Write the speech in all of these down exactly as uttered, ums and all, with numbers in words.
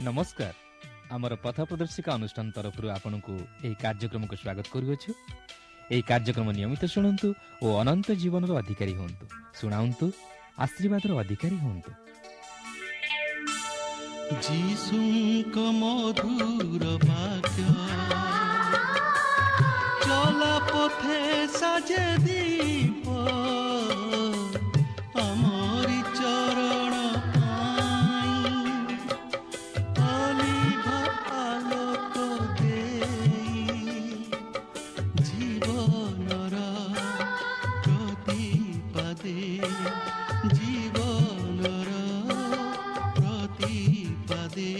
ନମସ୍କାର। ଆମର ପଥ ପ୍ରଦର୍ଶିକା ଅନୁଷ୍ଠାନ ତରଫରୁ ଆପଣଙ୍କୁ ଏହି କାର୍ଯ୍ୟକ୍ରମକୁ ସ୍ୱାଗତ କରୁଅଛୁ। ଏହି କାର୍ଯ୍ୟକ୍ରମ ନିୟମିତ ଶୁଣନ୍ତୁ ଓ ଅନନ୍ତ ଜୀବନର ଅଧିକାରୀ ହୁଅନ୍ତୁ। ଶୁଣାନ୍ତୁ, ଆଶୀର୍ବାଦର ଅଧିକାରୀ ହୁଅନ୍ତୁ। ଯୀଶୁଙ୍କ ମଧୁର ବାକ୍ୟ ଚଲା ପଥେ ସାଜେ ଦୀପ, ଆମରି ଚରଣ ପାଇଁ ଅଲିଭ ଆଲୋକ ଦେଇ, ଜୀବନର ପ୍ରତିପାଦେ, ଜୀବନର ପ୍ରତିପାଦେ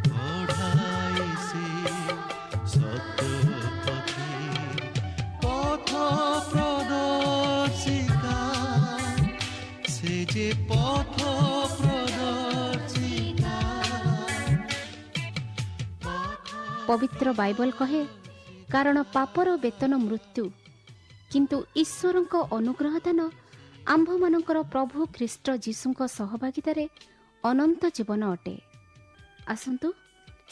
ବଢ଼ାଏ ସେ ସତ୍ୟ ପଥେ। ପଥ ପ୍ରଦର୍ଶିକା, ସେ ଯେ ପଥ ପ୍ରଦର୍ଶିକା। ପବିତ୍ର ବାଇବଲ କହେ, କାରଣ ପାପର ବେତନ ମୃତ୍ୟୁ, କିନ୍ତୁ ଈଶ୍ୱରଙ୍କ ଅନୁଗ୍ରହ ଦାନ ଆମ୍ଭମାନଙ୍କର ପ୍ରଭୁ ଖ୍ରୀଷ୍ଟ ଯୀଶୁଙ୍କ ସହଭାଗିତାରେ ଅନନ୍ତ ଜୀବନ ଅଟେ। ଆସନ୍ତୁ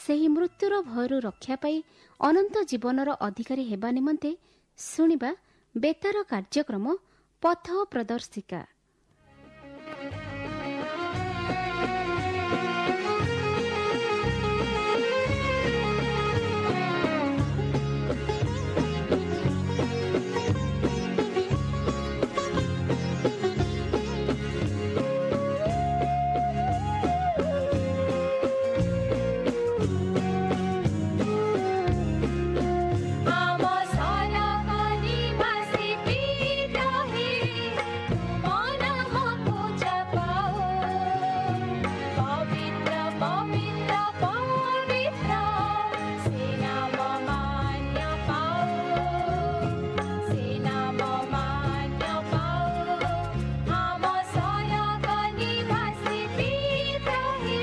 ସେହି ମୃତ୍ୟୁର ଭୟରୁ ରକ୍ଷା ପାଇ ଅନନ୍ତ ଜୀବନର ଅଧିକାରୀ ହେବା ନିମନ୍ତେ ଶୁଣିବା ବେତାର କାର୍ଯ୍ୟକ୍ରମ ପଥ ପ୍ରଦର୍ଶିକା। ଆମ ସରକାରୀ ବାସୀ ପିତା ହେ, ତୁମ ନାମ ପୂଜା ପାଉ। ପବିତ୍ର ପବିତ୍ର ପବିତ୍ର, ସେ ନାମ ମାନ୍ୟ ପାଉ, ସେ ନାମ ମାନ୍ୟ ପାଉ। ଆମ ସରକାରୀ ବାସୀ ପିତା ହେ,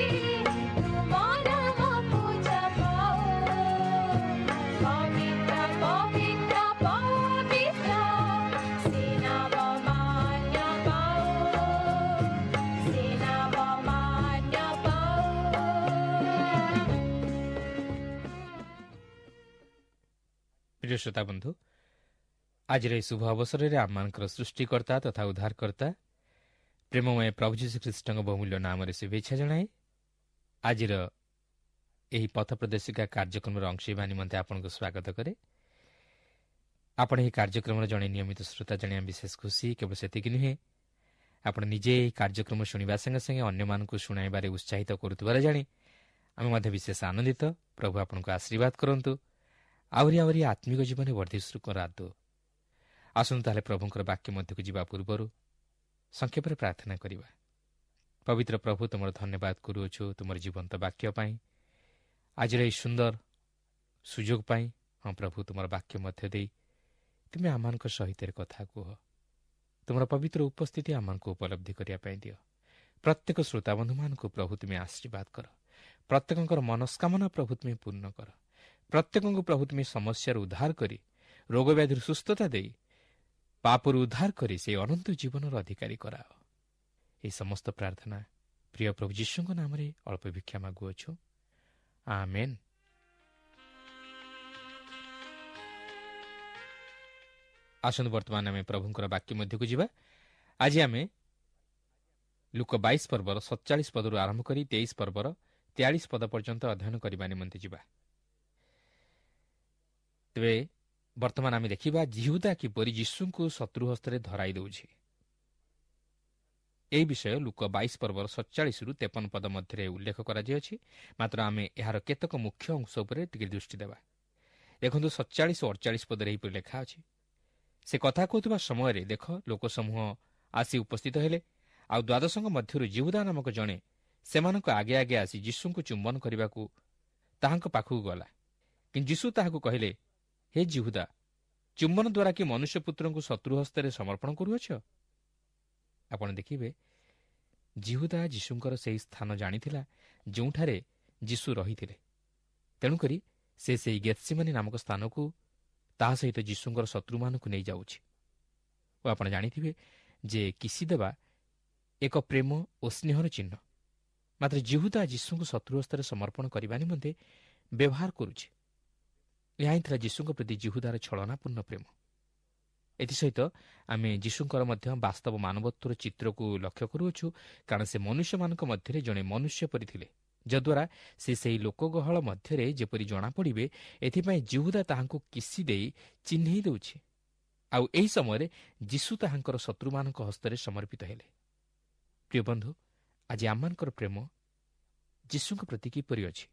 ତୁମ ନାମ ପୂଜା ପାଉ। ପବିତ୍ର ପବିତ୍ର ପବିତ୍ର, ସେ ନାମ ମାନ୍ୟ ପାଉ, ସେ ନାମ ମାନ୍ୟ ପାଉ। ପ୍ରିୟ ଶ୍ରୋତା ବନ୍ଧୁ, ଆଜିର ଏହି ଶୁଭ ଅବସରରେ ଆମମାନଙ୍କର ସୃଷ୍ଟିକର୍ତ୍ତା ତଥା ଉଦ୍ଧାରକର୍ତ୍ତା ପ୍ରେମମୟ ପ୍ରଭୁ ଯୀଶୁଖ୍ରୀଷ୍ଟଙ୍କ ବହୁମୂଲ୍ୟ ନାମରେ ଶୁଭେଚ୍ଛା ଜଣାଏ ଆଜିର ଏହି ପଥ ପ୍ରଦର୍ଶିକା କାର୍ଯ୍ୟକ୍ରମର ଅଂଶ ହେବା ନିମନ୍ତେ ଆପଣଙ୍କୁ ସ୍ୱାଗତ କରେ। ଆପଣ ଏହି କାର୍ଯ୍ୟକ୍ରମର ଜଣେ ନିୟମିତ ଶ୍ରୋତା ଜାଣି ଆମେ ବିଶେଷ ଖୁସି। କେବଳ ସେତିକି ନୁହେଁ, ଆପଣ ନିଜେ ଏହି କାର୍ଯ୍ୟକ୍ରମ ଶୁଣିବା ସଙ୍ଗେ ସଙ୍ଗେ ଅନ୍ୟମାନଙ୍କୁ ଶୁଣାଇବାରେ ଉତ୍ସାହିତ କରୁଥିବାର ଜାଣି ଆମେ ମଧ୍ୟ ବିଶେଷ ଆନନ୍ଦିତ। ପ୍ରଭୁ ଆପଣଙ୍କୁ ଆଶୀର୍ବାଦ କରନ୍ତୁ, ଆହୁରି ଆହୁରି ଆତ୍ମିକ ଜୀବନରେ ବର୍ଦ୍ଧିଷ୍ଣୁ କରାନ୍ତୁ। ଆସନ୍ତୁ ତାହେଲେ ପ୍ରଭୁଙ୍କର ବାକ୍ୟ ମଧ୍ୟକୁ ଯିବା ପୂର୍ବରୁ ସଂକ୍ଷେପରେ ପ୍ରାର୍ଥନା କରିବା। ପବିତ୍ର ପ୍ରଭୁ, ତୁମର ଧନ୍ୟବାଦ କରୁଅଛୁ ତୁମର ଜୀବନ୍ତ ବାକ୍ୟ ପାଇଁ, ଆଜିର ଏହି ସୁନ୍ଦର ସୁଯୋଗ ପାଇଁ। ହଁ ପ୍ରଭୁ, ତୁମର ବାକ୍ୟ ମଧ୍ୟ ଦେଇ ତୁମେ ଆମମାନଙ୍କ ସହିତ କଥା କୁହ। ତୁମର ପବିତ୍ର ଉପସ୍ଥିତି ଆମମାନଙ୍କୁ ଉପଲବ୍ଧି କରିବା ପାଇଁ ଦିଅ। ପ୍ରତ୍ୟେକ ଶ୍ରୋତାବନ୍ଧୁମାନଙ୍କୁ ପ୍ରଭୁ ତୁମେ ଆଶୀର୍ବାଦ କର। ପ୍ରତ୍ୟେକଙ୍କର ମନସ୍କାମନା ପ୍ରଭୁ ତୁମେ ପୂର୍ଣ୍ଣ କର। ପ୍ରତ୍ୟେକଙ୍କୁ ପ୍ରଭୁ ତୁମେ ସମସ୍ୟାରୁ ଉଦ୍ଧାର କରି, ରୋଗବ୍ୟାଧିରୁ ସୁସ୍ଥତା ଦେଇ, ପାପରୁ ଉଦ୍ଧାର କରି ସେହି ଅନନ୍ତ ଜୀବନର ଅଧିକାରୀ କରାଅ। ଏହି ସମସ୍ତ ପ୍ରାର୍ଥନା ପ୍ରିୟ ପ୍ରଭୁ ଯୀଶୁଙ୍କ ନାମରେ ଅଳ୍ପ ଭିକ୍ଷା ମାଗୁଅଛୁ, ଆମେନ୍। ଆସନ୍ତୁ ବର୍ତ୍ତମାନ ଆମେ ପ୍ରଭୁଙ୍କର ବାକ୍ୟ ମଧ୍ୟକୁ ଯିବା। ଆଜି ଆମେ ଲୂକ ବାଇଶ ପର୍ବର ସତଚାଳିଶ ପଦରୁ ଆରମ୍ଭ କରି ତେଇଶ ପର୍ବର ତେୟାଳିଶ ପଦ ପର୍ଯ୍ୟନ୍ତ ଅଧ୍ୟୟନ କରିବା ନିମନ୍ତେ ଯିବା। ତେବେ ବର୍ତ୍ତମାନ ଆମେ ଦେଖିବା ଯିହୁଦା କିପରି ଯୀଶୁଙ୍କୁ ଶତ୍ରୁ ହସ୍ତରେ ଧରାଇ ଦେଉଛି। ଏହି ବିଷୟ ଲୂକ ବାଇଶ ପର୍ବର ସତଚାଳିଶରୁ ତେପନ ପଦ ମଧ୍ୟରେ ଉଲ୍ଲେଖ କରାଯାଇଅଛି। ମାତ୍ର ଆମେ ଏହାର କେତେକ ମୁଖ୍ୟ ଅଂଶ ଉପରେ ଟିକେ ଦୃଷ୍ଟି ଦେବା। ଦେଖନ୍ତୁ, ସତଚାଳିଶ ଓ ଅଡ଼ଚାଳିଶ ପଦରେ ଏହିପରି ଲେଖା ଅଛି, ସେ କଥା କହୁଥିବା ସମୟରେ ଦେଖ, ଲୋକସମୂହ ଆସି ଉପସ୍ଥିତ ହେଲେ। ଆଉ ଦ୍ୱାଦଶଙ୍କ ମଧ୍ୟରୁ ଯିହୁଦା ନାମକ ଜଣେ ସେମାନଙ୍କ ଆଗେ ଆଗେ ଆସି ଯୀଶୁଙ୍କୁ ଚୁମ୍ବନ କରିବାକୁ ତାହାଙ୍କ ପାଖକୁ ଗଲା। କିନ୍ତୁ ଯୀଶୁ ତାହାକୁ କହିଲେ, ହେ ଯିହୁଦା, ଚୁମ୍ବନ ଦ୍ୱାରା କି ମନୁଷ୍ୟପୁତ୍ରଙ୍କୁ ଶତ୍ରୁ ହସ୍ତରେ ସମର୍ପଣ କରୁଅଛ? ଆପଣ ଦେଖିବେ, ଯିହୁଦା ଯୀଶୁଙ୍କର ସେହି ସ୍ଥାନ ଜାଣିଥିଲା ଯେଉଁଠାରେ ଯୀଶୁ ରହିଥିଲେ। ତେଣୁକରି ସେ ସେହି ଗେତ୍ସିମନି ନାମକ ସ୍ଥାନକୁ ତାହା ସହିତ ଯୀଶୁଙ୍କର ଶତ୍ରୁମାନଙ୍କୁ ନେଇଯାଉଛି। ଓ ଆପଣ ଜାଣିଥିବେ ଯେ କିସି ଦେବା ଏକ ପ୍ରେମ ଓ ସ୍ନେହର ଚିହ୍ନ। ମାତ୍ର ଜିହୁଦା ଯୀଶୁଙ୍କୁ ଶତ୍ରୁ ହସ୍ତରେ ସମର୍ପଣ କରିବା ନିମନ୍ତେ ବ୍ୟବହାର କରୁଛି। ଏହା ହିଁ ଥିଲା ଯୀଶୁଙ୍କ ପ୍ରତି ଜିହୁଦାର ଛଳନାପୂର୍ଣ୍ଣ ପ୍ରେମ। ଏଥିସହିତ ଆମେ ଯୀଶୁଙ୍କର ମଧ୍ୟ ବାସ୍ତବ ମାନବତ୍ୱର ଚିତ୍ରକୁ ଲକ୍ଷ୍ୟ କରୁଅଛୁ, କାରଣ ସେ ମନୁଷ୍ୟମାନଙ୍କ ମଧ୍ୟରେ ଜଣେ ମନୁଷ୍ୟ ପରି ଥିଲେ, ଯଦ୍ୱାରା ସେ ସେହି ଲୋକଗହଳ ମଧ୍ୟରେ ଯେପରି ଜଣାପଡ଼ିବେ ଏଥିପାଇଁ ଜିହୁଦା ତାହାଙ୍କୁ କିସି ଦେଇ ଚିହ୍ନେଇ ଦେଉଛି। ଆଉ ଏହି ସମୟରେ ଯୀଶୁ ତାହାଙ୍କର ଶତ୍ରୁମାନଙ୍କ ହସ୍ତରେ ସମର୍ପିତ ହେଲେ। ପ୍ରିୟ ବନ୍ଧୁ, ଆଜି ଆମମାନଙ୍କର ପ୍ରେମ ଯୀଶୁଙ୍କ ପ୍ରତି କିପରି ଅଛି?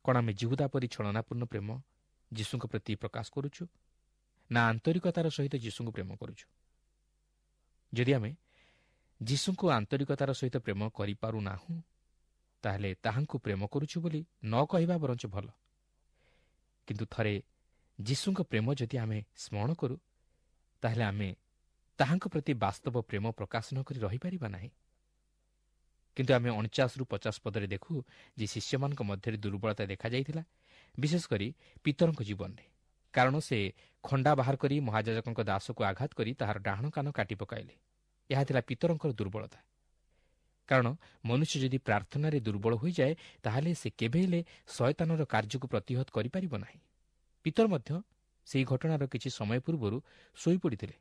କ'ଣ ଆମେ ଜିହୁଦା ପରି ଛଳନାପୂର୍ଣ୍ଣ ପ୍ରେମ ଯୀଶୁଙ୍କ ପ୍ରତି ପ୍ରକାଶ କରୁଛୁ, ନା ଆନ୍ତରିକତାର ସହିତ ଯୀଶୁଙ୍କୁ ପ୍ରେମ କରୁଛୁ? ଯଦି ଆମେ ଯୀଶୁଙ୍କୁ ଆନ୍ତରିକତାର ସହିତ ପ୍ରେମ କରିପାରୁନାହୁଁ, ତାହେଲେ ତାହାଙ୍କୁ ପ୍ରେମ କରୁଛୁ ବୋଲି ନ କହିବା ବରଞ୍ଚ ଭଲ। କିନ୍ତୁ ଥରେ ଯୀଶୁଙ୍କ ପ୍ରେମ ଯଦି ଆମେ ସ୍ମରଣ କରୁ, ତାହେଲେ ଆମେ ତାହାଙ୍କ ପ୍ରତି ବାସ୍ତବ ପ୍ରେମ ପ୍ରକାଶ ନ କରି ରହିପାରିବା ନାହିଁ। କିନ୍ତୁ ଆମେ ଅଣଚାଶରୁ ପଚାଶ ପଦରେ ଦେଖୁ ଯେ ଶିଷ୍ୟମାନଙ୍କ ମଧ୍ୟରେ ଦୁର୍ବଳତା ଦେଖାଯାଇଥିଲା, ବିଶେଷ କରି ପିତରଙ୍କ ଜୀବନରେ, କାରଣ ସେ ଖଣ୍ଡା ବାହାର କରି ମହାଯାଜକଙ୍କ ଦାସକୁ ଆଘାତ କରି ତାହାର ଡାହାଣ କାନ କାଟି ପକାଇଲେ। ଏହା ଥିଲା ପିତରଙ୍କର ଦୁର୍ବଳତା, କାରଣ ମନୁଷ୍ୟ ଯଦି ପ୍ରାର୍ଥନାରେ ଦୁର୍ବଳ ହୋଇଯାଏ, ତାହେଲେ ସେ କେବେ ହେଲେ ଶୟତାନର କାର୍ଯ୍ୟକୁ ପ୍ରତିହତ କରିପାରିବ ନାହିଁ। ପିତର ମଧ୍ୟ ସେହି ଘଟଣାର କିଛି ସମୟ ପୂର୍ବରୁ ଶୋଇପଡ଼ିଥିଲେ,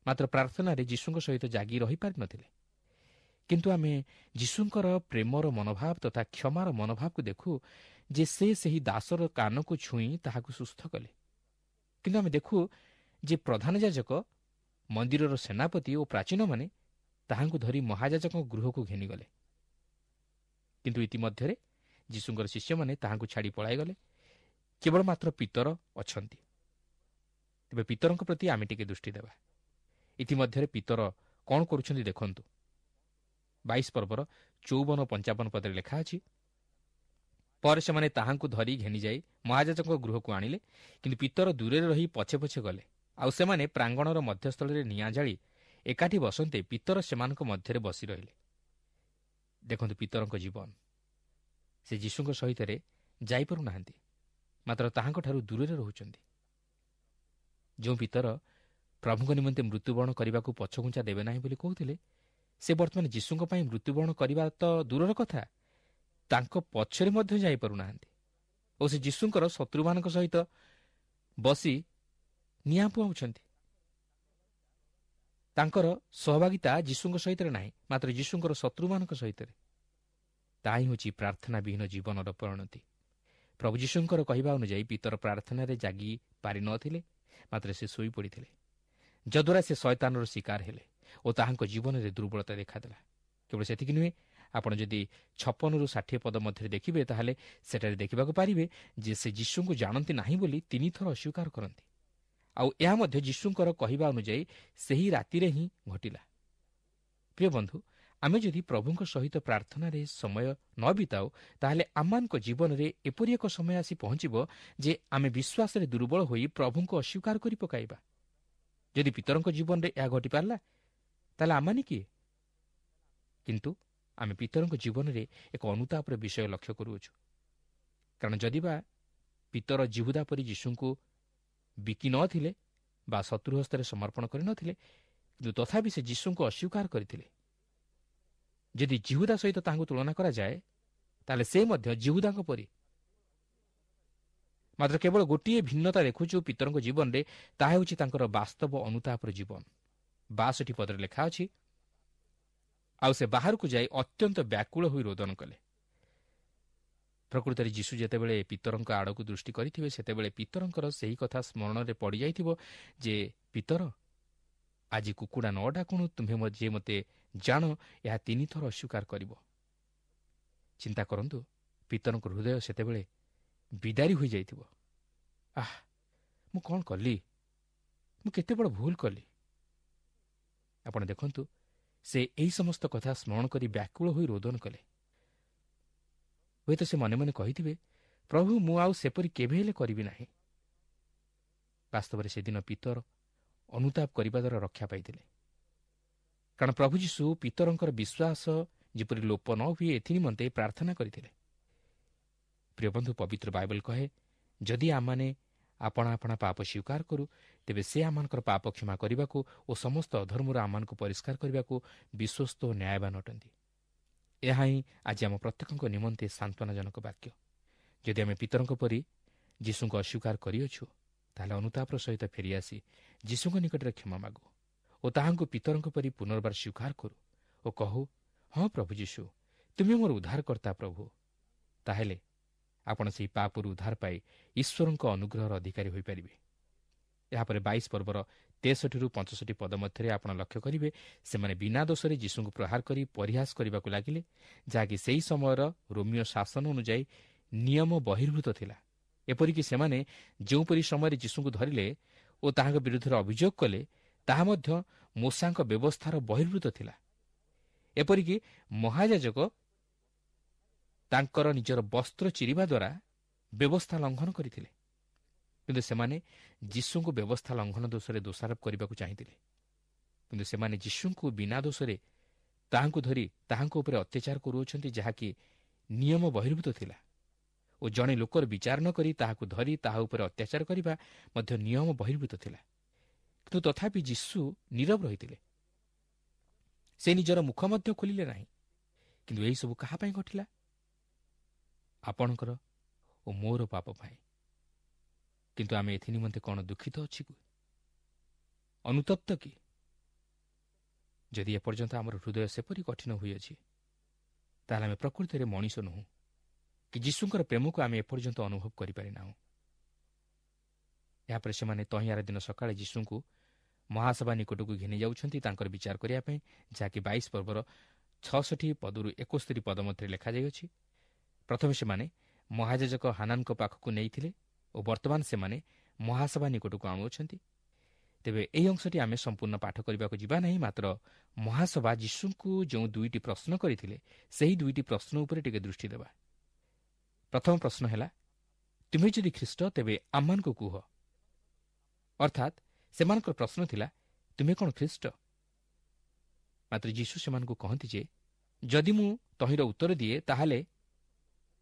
ମାତ୍ର ପ୍ରାର୍ଥନାରେ ଯୀଶୁଙ୍କ ସହିତ ଜାଗି ରହିପାରିନଥିଲେ। କିନ୍ତୁ ଆମେ ଯୀଶୁଙ୍କର ପ୍ରେମର ମନୋଭାବ ତଥା କ୍ଷମାର ମନୋଭାବକୁ ଦେଖୁ ଯେ ସେ ସେହି ଦାସର କାନକୁ ଛୁଇଁ ତାହାକୁ ସୁସ୍ଥ କଲେ। କିନ୍ତୁ ଆମେ ଦେଖୁ ଯେ ପ୍ରଧାନ ଯାଜକ, ମନ୍ଦିରର ସେନାପତି ଓ ପ୍ରାଚୀନମାନେ ତାହାଙ୍କୁ ଧରି ମହାଯାଜକଙ୍କ ଗୃହକୁ ଘେନିଗଲେ। କିନ୍ତୁ ଇତିମଧ୍ୟରେ ଯୀଶୁଙ୍କର ଶିଷ୍ୟମାନେ ତାହାଙ୍କୁ ଛାଡ଼ି ପଳାଇଗଲେ। କେବଳ ମାତ୍ର ପିତର ଅଛନ୍ତି। ତେବେ ପିତରଙ୍କ ପ୍ରତି ଆମେ ଟିକେ ଦୃଷ୍ଟି ଦେବା। ଇତିମଧ୍ୟରେ ପିତର କ'ଣ କରୁଛନ୍ତି ଦେଖନ୍ତୁ। ବାଇଶ ପର୍ବର ଚଉବନ ପଞ୍ଚାବନ ପଦରେ ଲେଖା ଅଛି, ପରେ ସେମାନେ ତାହାଙ୍କୁ ଧରି ଘେନିଯାଇ ମହାଯାଜକଙ୍କ ଗୃହକୁ ଆଣିଲେ, କିନ୍ତୁ ପିତର ଦୂରରେ ରହି ପଛେ ପଛେ ଗଲେ। ଆଉ ସେମାନେ ପ୍ରାଙ୍ଗଣର ମଧ୍ୟସ୍ଥଳରେ ନିଆଁ ଜାଳି ଏକାଠି ବସନ୍ତେ ପିତର ସେମାନଙ୍କ ମଧ୍ୟରେ ବସି ରହିଲେ। ଦେଖନ୍ତୁ ପିତରଙ୍କ ଜୀବନ। ସେ ଯୀଶୁଙ୍କ ସହିତରେ ଯାଇପାରୁନାହାନ୍ତି, ମାତ୍ର ତାହାଙ୍କଠାରୁ ଦୂରରେ ରହୁଛନ୍ତି। ଯେଉଁ ପିତର ପ୍ରଭୁଙ୍କ ନିମନ୍ତେ ମୃତ୍ୟୁବରଣ କରିବାକୁ ପଛଘୁଞ୍ଚା ଦେବେ ନାହିଁ ବୋଲି କହୁଥିଲେ, ସେ ବର୍ତ୍ତମାନ ଯୀଶୁଙ୍କ ପାଇଁ ମୃତ୍ୟୁବରଣ କରିବା ତ ଦୂରର କଥା, ତାଙ୍କ ପଛରେ ମଧ୍ୟ ଯାଇପାରୁନାହାନ୍ତି ଓ ସେ ଯୀଶୁଙ୍କର ଶତ୍ରୁମାନଙ୍କ ସହିତ ବସି ନିଆଁ ପୁଆଉଛନ୍ତି। ତାଙ୍କର ସହଭାଗିତା ଯୀଶୁଙ୍କ ସହିତ ନାହିଁ, ମାତ୍ର ଯୀଶୁଙ୍କର ଶତ୍ରୁମାନଙ୍କ ସହିତ। ତାହା ହିଁ ହେଉଛି ପ୍ରାର୍ଥନା ବିହୀନ ଜୀବନର ପରିଣତି। ପ୍ରଭୁ ଯୀଶୁଙ୍କର କହିବା ଅନୁଯାୟୀ ପିତର ପ୍ରାର୍ଥନାରେ ଜାଗି ପାରିନଥିଲେ, ମାତ୍ର ସେ ଶୋଇପଡ଼ିଥିଲେ, ଯଦ୍ୱାରା ସେ ଶୟତାନର ଶିକାର ହେଲେ ଓ ତାହାଙ୍କ ଜୀବନରେ ଦୁର୍ବଳତା ଦେଖାଦେଲା। କେବଳ ସେତିକି ନୁହେଁ, ଆପଣ ଯଦି ଛପନରୁ ଷାଠିଏ ପଦ ମଧ୍ୟରେ ଦେଖିବେ, ତାହେଲେ ସେଠାରେ ଦେଖିବାକୁ ପାରିବେ ଯେ ସେ ଯୀଶୁଙ୍କୁ ଜାଣନ୍ତି ନାହିଁ ବୋଲି ତିନିଥର ଅସ୍ୱୀକାର କରନ୍ତି। ଆଉ ଏହା ମଧ୍ୟ ଯୀଶୁଙ୍କର କହିବା ଅନୁଯାୟୀ ସେହି ରାତିରେ ହିଁ ଘଟିଲା। ପ୍ରିୟ ବନ୍ଧୁ, ଆମେ ଯଦି ପ୍ରଭୁଙ୍କ ସହିତ ପ୍ରାର୍ଥନାରେ ସମୟ ନ ବିତାଉ, ତାହେଲେ ଆମମାନଙ୍କ ଜୀବନରେ ଏପରି ଏକ ସମୟ ଆସି ପହଞ୍ଚିବ ଯେ ଆମେ ବିଶ୍ୱାସରେ ଦୁର୍ବଳ ହୋଇ ପ୍ରଭୁଙ୍କୁ ଅସ୍ୱୀକାର କରି ପକାଇବା। ଯଦି ପିତରଙ୍କ ଜୀବନରେ ଏହା ଘଟିପାରିଲା, ତାହେଲେ ଆମମାନେ କିଏ? କିନ୍ତୁ ଆମେ ପିତରଙ୍କ ଜୀବନରେ ଏକ ଅନୁତାପର ବିଷୟ ଲକ୍ଷ୍ୟ କରୁଅଛୁ, କାରଣ ଯଦି ବା ପିତର ଜିହୁଦା ପରି ଯୀଶୁଙ୍କୁ ବିକି ନଥିଲେ ବା ଶତ୍ରୁ ହସ୍ତରେ ସମର୍ପଣ କରିନଥିଲେ, କିନ୍ତୁ ତଥାପି ସେ ଯୀଶୁଙ୍କୁ ଅସ୍ୱୀକାର କରିଥିଲେ। ଯଦି ଜିହୁଦା ସହିତ ତାହାଙ୍କୁ ତୁଳନା କରାଯାଏ, ତାହେଲେ ସେ ମଧ୍ୟ ଜିହୁଦାଙ୍କ ପରି। ମାତ୍ର କେବଳ ଗୋଟିଏ ଭିନ୍ନତା ଦେଖୁଛୁ ପିତରଙ୍କ ଜୀବନରେ, ତାହା ହେଉଛି ତାଙ୍କର ବାସ୍ତବ ଅନୁତାପର ଜୀବନ। ବାଷଠି ପଦରେ ଲେଖା ଅଛି, ଆଉ ସେ ବାହାରକୁ ଯାଇ ଅତ୍ୟନ୍ତ ବ୍ୟାକୁଳ ହୋଇ ରୋଦନ କଲେ। ପ୍ରକୃତରେ ଯୀଶୁ ଯେତେବେଳେ ପିତରଙ୍କ ଆଡ଼କୁ ଦୃଷ୍ଟି କରିଥିବେ, ସେତେବେଳେ ପିତରଙ୍କର ସେହି କଥା ସ୍ମରଣରେ ପଡ଼ିଯାଇଥିବ ଯେ, ପିତର, ଆଜି କୁକୁଡ଼ା ନ ଡାକୁଣୁ ତୁମ୍ଭେ ଯେ ମୋତେ ଜାଣ ଏହା ତିନିଥର ଅସ୍ୱୀକାର କରିବ। ଚିନ୍ତା କରନ୍ତୁ, ପିତରଙ୍କ ହୃଦୟ ସେତେବେଳେ ବିଦାରୀ ହୋଇଯାଇଥିବ। ଆଃ, ମୁଁ କ'ଣ କଲି? ମୁଁ କେତେ ବଡ଼ ଭୁଲ କଲି? ଆପଣ ଦେଖନ୍ତୁ, ସେ ଏହି ସମସ୍ତ କଥା ସ୍ମରଣ କରି ବ୍ୟାକୁଳ ହୋଇ ରୋଦନ କଲେ। ହୁଏତ ସେ ମନେ ମନେ କହିଥିବେ, ପ୍ରଭୁ, ମୁଁ ଆଉ ସେପରି କେବେ ହେଲେ କରିବି ନାହିଁ। ବାସ୍ତବରେ ସେଦିନ ପିତର ଅନୁତାପ କରିବା ଦ୍ୱାରା ରକ୍ଷା ପାଇଥିଲେ, କାରଣ ପ୍ରଭୁ ଯୀଶୁ ପିତରଙ୍କର ବିଶ୍ୱାସ ଯେପରି ଲୋପ ନ ହୁଏ ଏଥିନିମନ୍ତେ ପ୍ରାର୍ଥନା କରିଥିଲେ। ପ୍ରିୟ ବନ୍ଧୁ, ପବିତ୍ର ବାଇବଲ କହେ, ଯଦି ଆମମାନେ ଆପଣା ଆପଣା ପାପ ସ୍ୱୀକାର କରୁ, ତେବେ ସେ ଆମମାନଙ୍କର ପାପ କ୍ଷମା କରିବାକୁ ଓ ସମସ୍ତ ଅଧର୍ମରୁ ଆମମାନଙ୍କୁ ପରିଷ୍କାର କରିବାକୁ ବିଶ୍ୱସ୍ତ ଓ ନ୍ୟାୟବାନ ଅଟନ୍ତି। ଏହା ହିଁ ଆଜି ଆମ ପ୍ରତ୍ୟେକଙ୍କ ନିମନ୍ତେ ସାନ୍ତ୍ୱନାଜନକ ବାକ୍ୟ। ଯଦି ଆମେ ପିତରଙ୍କ ପରି ଯୀଶୁଙ୍କୁ ଅସ୍ୱୀକାର କରିଅଛୁ, ତାହେଲେ ଅନୁତାପର ସହିତ ଫେରିଆସି ଯୀଶୁଙ୍କ ନିକଟରେ କ୍ଷମା ମାଗୁ ଓ ତାହାଙ୍କୁ ପିତରଙ୍କ ପରି ପୁନର୍ବାର ସ୍ୱୀକାର କରୁ ଓ କହୁ, ହଁ ପ୍ରଭୁ ଯୀଶୁ, ତୁମେ ମୋର ଉଦ୍ଧାରକର୍ତ୍ତା ପ୍ରଭୁ। ତାହେଲେ ଆପଣ ସେହି ପାପରୁ ଉଦ୍ଧାର ପାଇ ଈଶ୍ୱରଙ୍କ ଅନୁଗ୍ରହର ଅଧିକାରୀ ହୋଇପାରିବେ। ଏହାପରେ ବାଇଶ ପର୍ବର ତେଷଠିରୁ ପଞ୍ଚଷଠି ପଦ ମଧ୍ୟରେ ଆପଣ ଲକ୍ଷ୍ୟ କରିବେ, ସେମାନେ ବିନା ଦୋଷରେ ଯୀଶୁଙ୍କୁ ପ୍ରହାର କରି ପରିହାସ କରିବାକୁ ଲାଗିଲେ, ଯାହାକି ସେହି ସମୟର ରୋମୀୟ ଶାସନ ଅନୁଯାୟୀ ନିୟମ ବହିର୍ଭୂତ ଥିଲା। ଏପରିକି ସେମାନେ ଯେଉଁପରି ସମୟରେ ଯୀଶୁଙ୍କୁ ଧରିଲେ ଓ ତାହାଙ୍କ ବିରୁଦ୍ଧରେ ଅଭିଯୋଗ କଲେ, ତାହା ମଧ୍ୟ ମୋଶାଙ୍କ ବ୍ୟବସ୍ଥାର ବହିର୍ଭୂତ ଥିଲା। ଏପରିକି ମହାଯାଜକ ତାଙ୍କର ନିଜର ବସ୍ତ୍ର ଚିରିବା ଦ୍ୱାରା ବ୍ୟବସ୍ଥା ଲଙ୍ଘନ କରିଥିଲେ। କିନ୍ତୁ ସେମାନେ ଯୀଶୁଙ୍କୁ ବ୍ୟବସ୍ଥା ଲଙ୍ଘନ ଦୋଷରେ ଦୋଷାରୋପ କରିବାକୁ ଚାହିଁଥିଲେ। କିନ୍ତୁ ସେମାନେ ଯୀଶୁଙ୍କୁ ବିନା ଦୋଷରେ ତାହାଙ୍କୁ ଧରି ତାହାଙ୍କ ଉପରେ ଅତ୍ୟାଚାର କରୁଅଛନ୍ତି, ଯାହାକି ନିୟମ ବହିର୍ଭୂତ ଥିଲା ଓ ଜଣେ ଲୋକର ବିଚାର ନ କରି ତାହାକୁ ଧରି ତାହା ଉପରେ ଅତ୍ୟାଚାର କରିବା ମଧ୍ୟ ନିୟମ ବହିର୍ଭୂତ ଥିଲା। କିନ୍ତୁ ତଥାପି ଯୀଶୁ ନୀରବ ରହିଥିଲେ, ସେ ନିଜର ମୁଖ ମଧ୍ୟ ଖୋଲିଲେ ନାହିଁ। କିନ୍ତୁ ଏହିସବୁ କାହା ପାଇଁ ଘଟିଲା? ଆପଣଙ୍କର ଓ ମୋର ପାପ ପାଇଁ। କିନ୍ତୁ ଆମେ ଏଥି ନିମନ୍ତେ କ'ଣ ଦୁଃଖିତ ଅଛି କି, ଅନୁତପ୍ତ କି? ଯଦି ଏପର୍ଯ୍ୟନ୍ତ ଆମର ହୃଦୟ ସେପରି କଠିନ ହୋଇଅଛି, ତାହେଲେ ଆମେ ପ୍ରକୃତରେ ମଣିଷ ନୁହଁ କି ଯୀଶୁଙ୍କର ପ୍ରେମକୁ ଆମେ ଏପର୍ଯ୍ୟନ୍ତ ଅନୁଭବ କରିପାରିନାହୁଁ। ଏହାପରେ ସେମାନେ ତହିଁଆର ଦିନ ସକାଳେ ଯୀଶୁଙ୍କୁ ମହାସଭା ନିକଟକୁ ଘେନି ଯାଉଛନ୍ତି ତାଙ୍କର ବିଚାର କରିବା ପାଇଁ, ଯାହାକି ବାଇଶ ପର୍ବର ଛଅଷଠି ପଦରୁ ଏକସ୍ତରୀ ପଦ ମଧ୍ୟରେ ଲେଖାଯାଇଅଛି। ପ୍ରଥମେ ସେମାନେ ମହାଯାଜକ ହାନାନଙ୍କ ପାଖକୁ ନେଇଥିଲେ ଓ ବର୍ତ୍ତମାନ ସେମାନେ ମହାସଭା ନିକଟକୁ ଆଣୁଅଛନ୍ତି। ତେବେ ଏହି ଅଂଶଟି ଆମେ ସମ୍ପୂର୍ଣ୍ଣ ପାଠ କରିବାକୁ ଯିବା ନାହିଁ, ମାତ୍ର ମହାସଭା ଯୀଶୁଙ୍କୁ ଯେଉଁ ଦୁଇଟି ପ୍ରଶ୍ନ କରିଥିଲେ ସେହି ଦୁଇଟି ପ୍ରଶ୍ନ ଉପରେ ଟିକେ ଦୃଷ୍ଟି ଦେବା। ପ୍ରଥମ ପ୍ରଶ୍ନ ହେଲା, ତୁମେ ଯଦି ଖ୍ରୀଷ୍ଟ ତେବେ ଆମମାନଙ୍କୁ କୁହ। ଅର୍ଥାତ୍ ସେମାନଙ୍କର ପ୍ରଶ୍ନ ଥିଲା, ତୁମେ କ'ଣ ଖ୍ରୀଷ୍ଟ? ମାତ୍ର ଯୀଶୁ ସେମାନଙ୍କୁ କହନ୍ତି ଯେ ଯଦି ମୁଁ ତହିଁର ଉତ୍ତର ଦିଏ ତାହେଲେ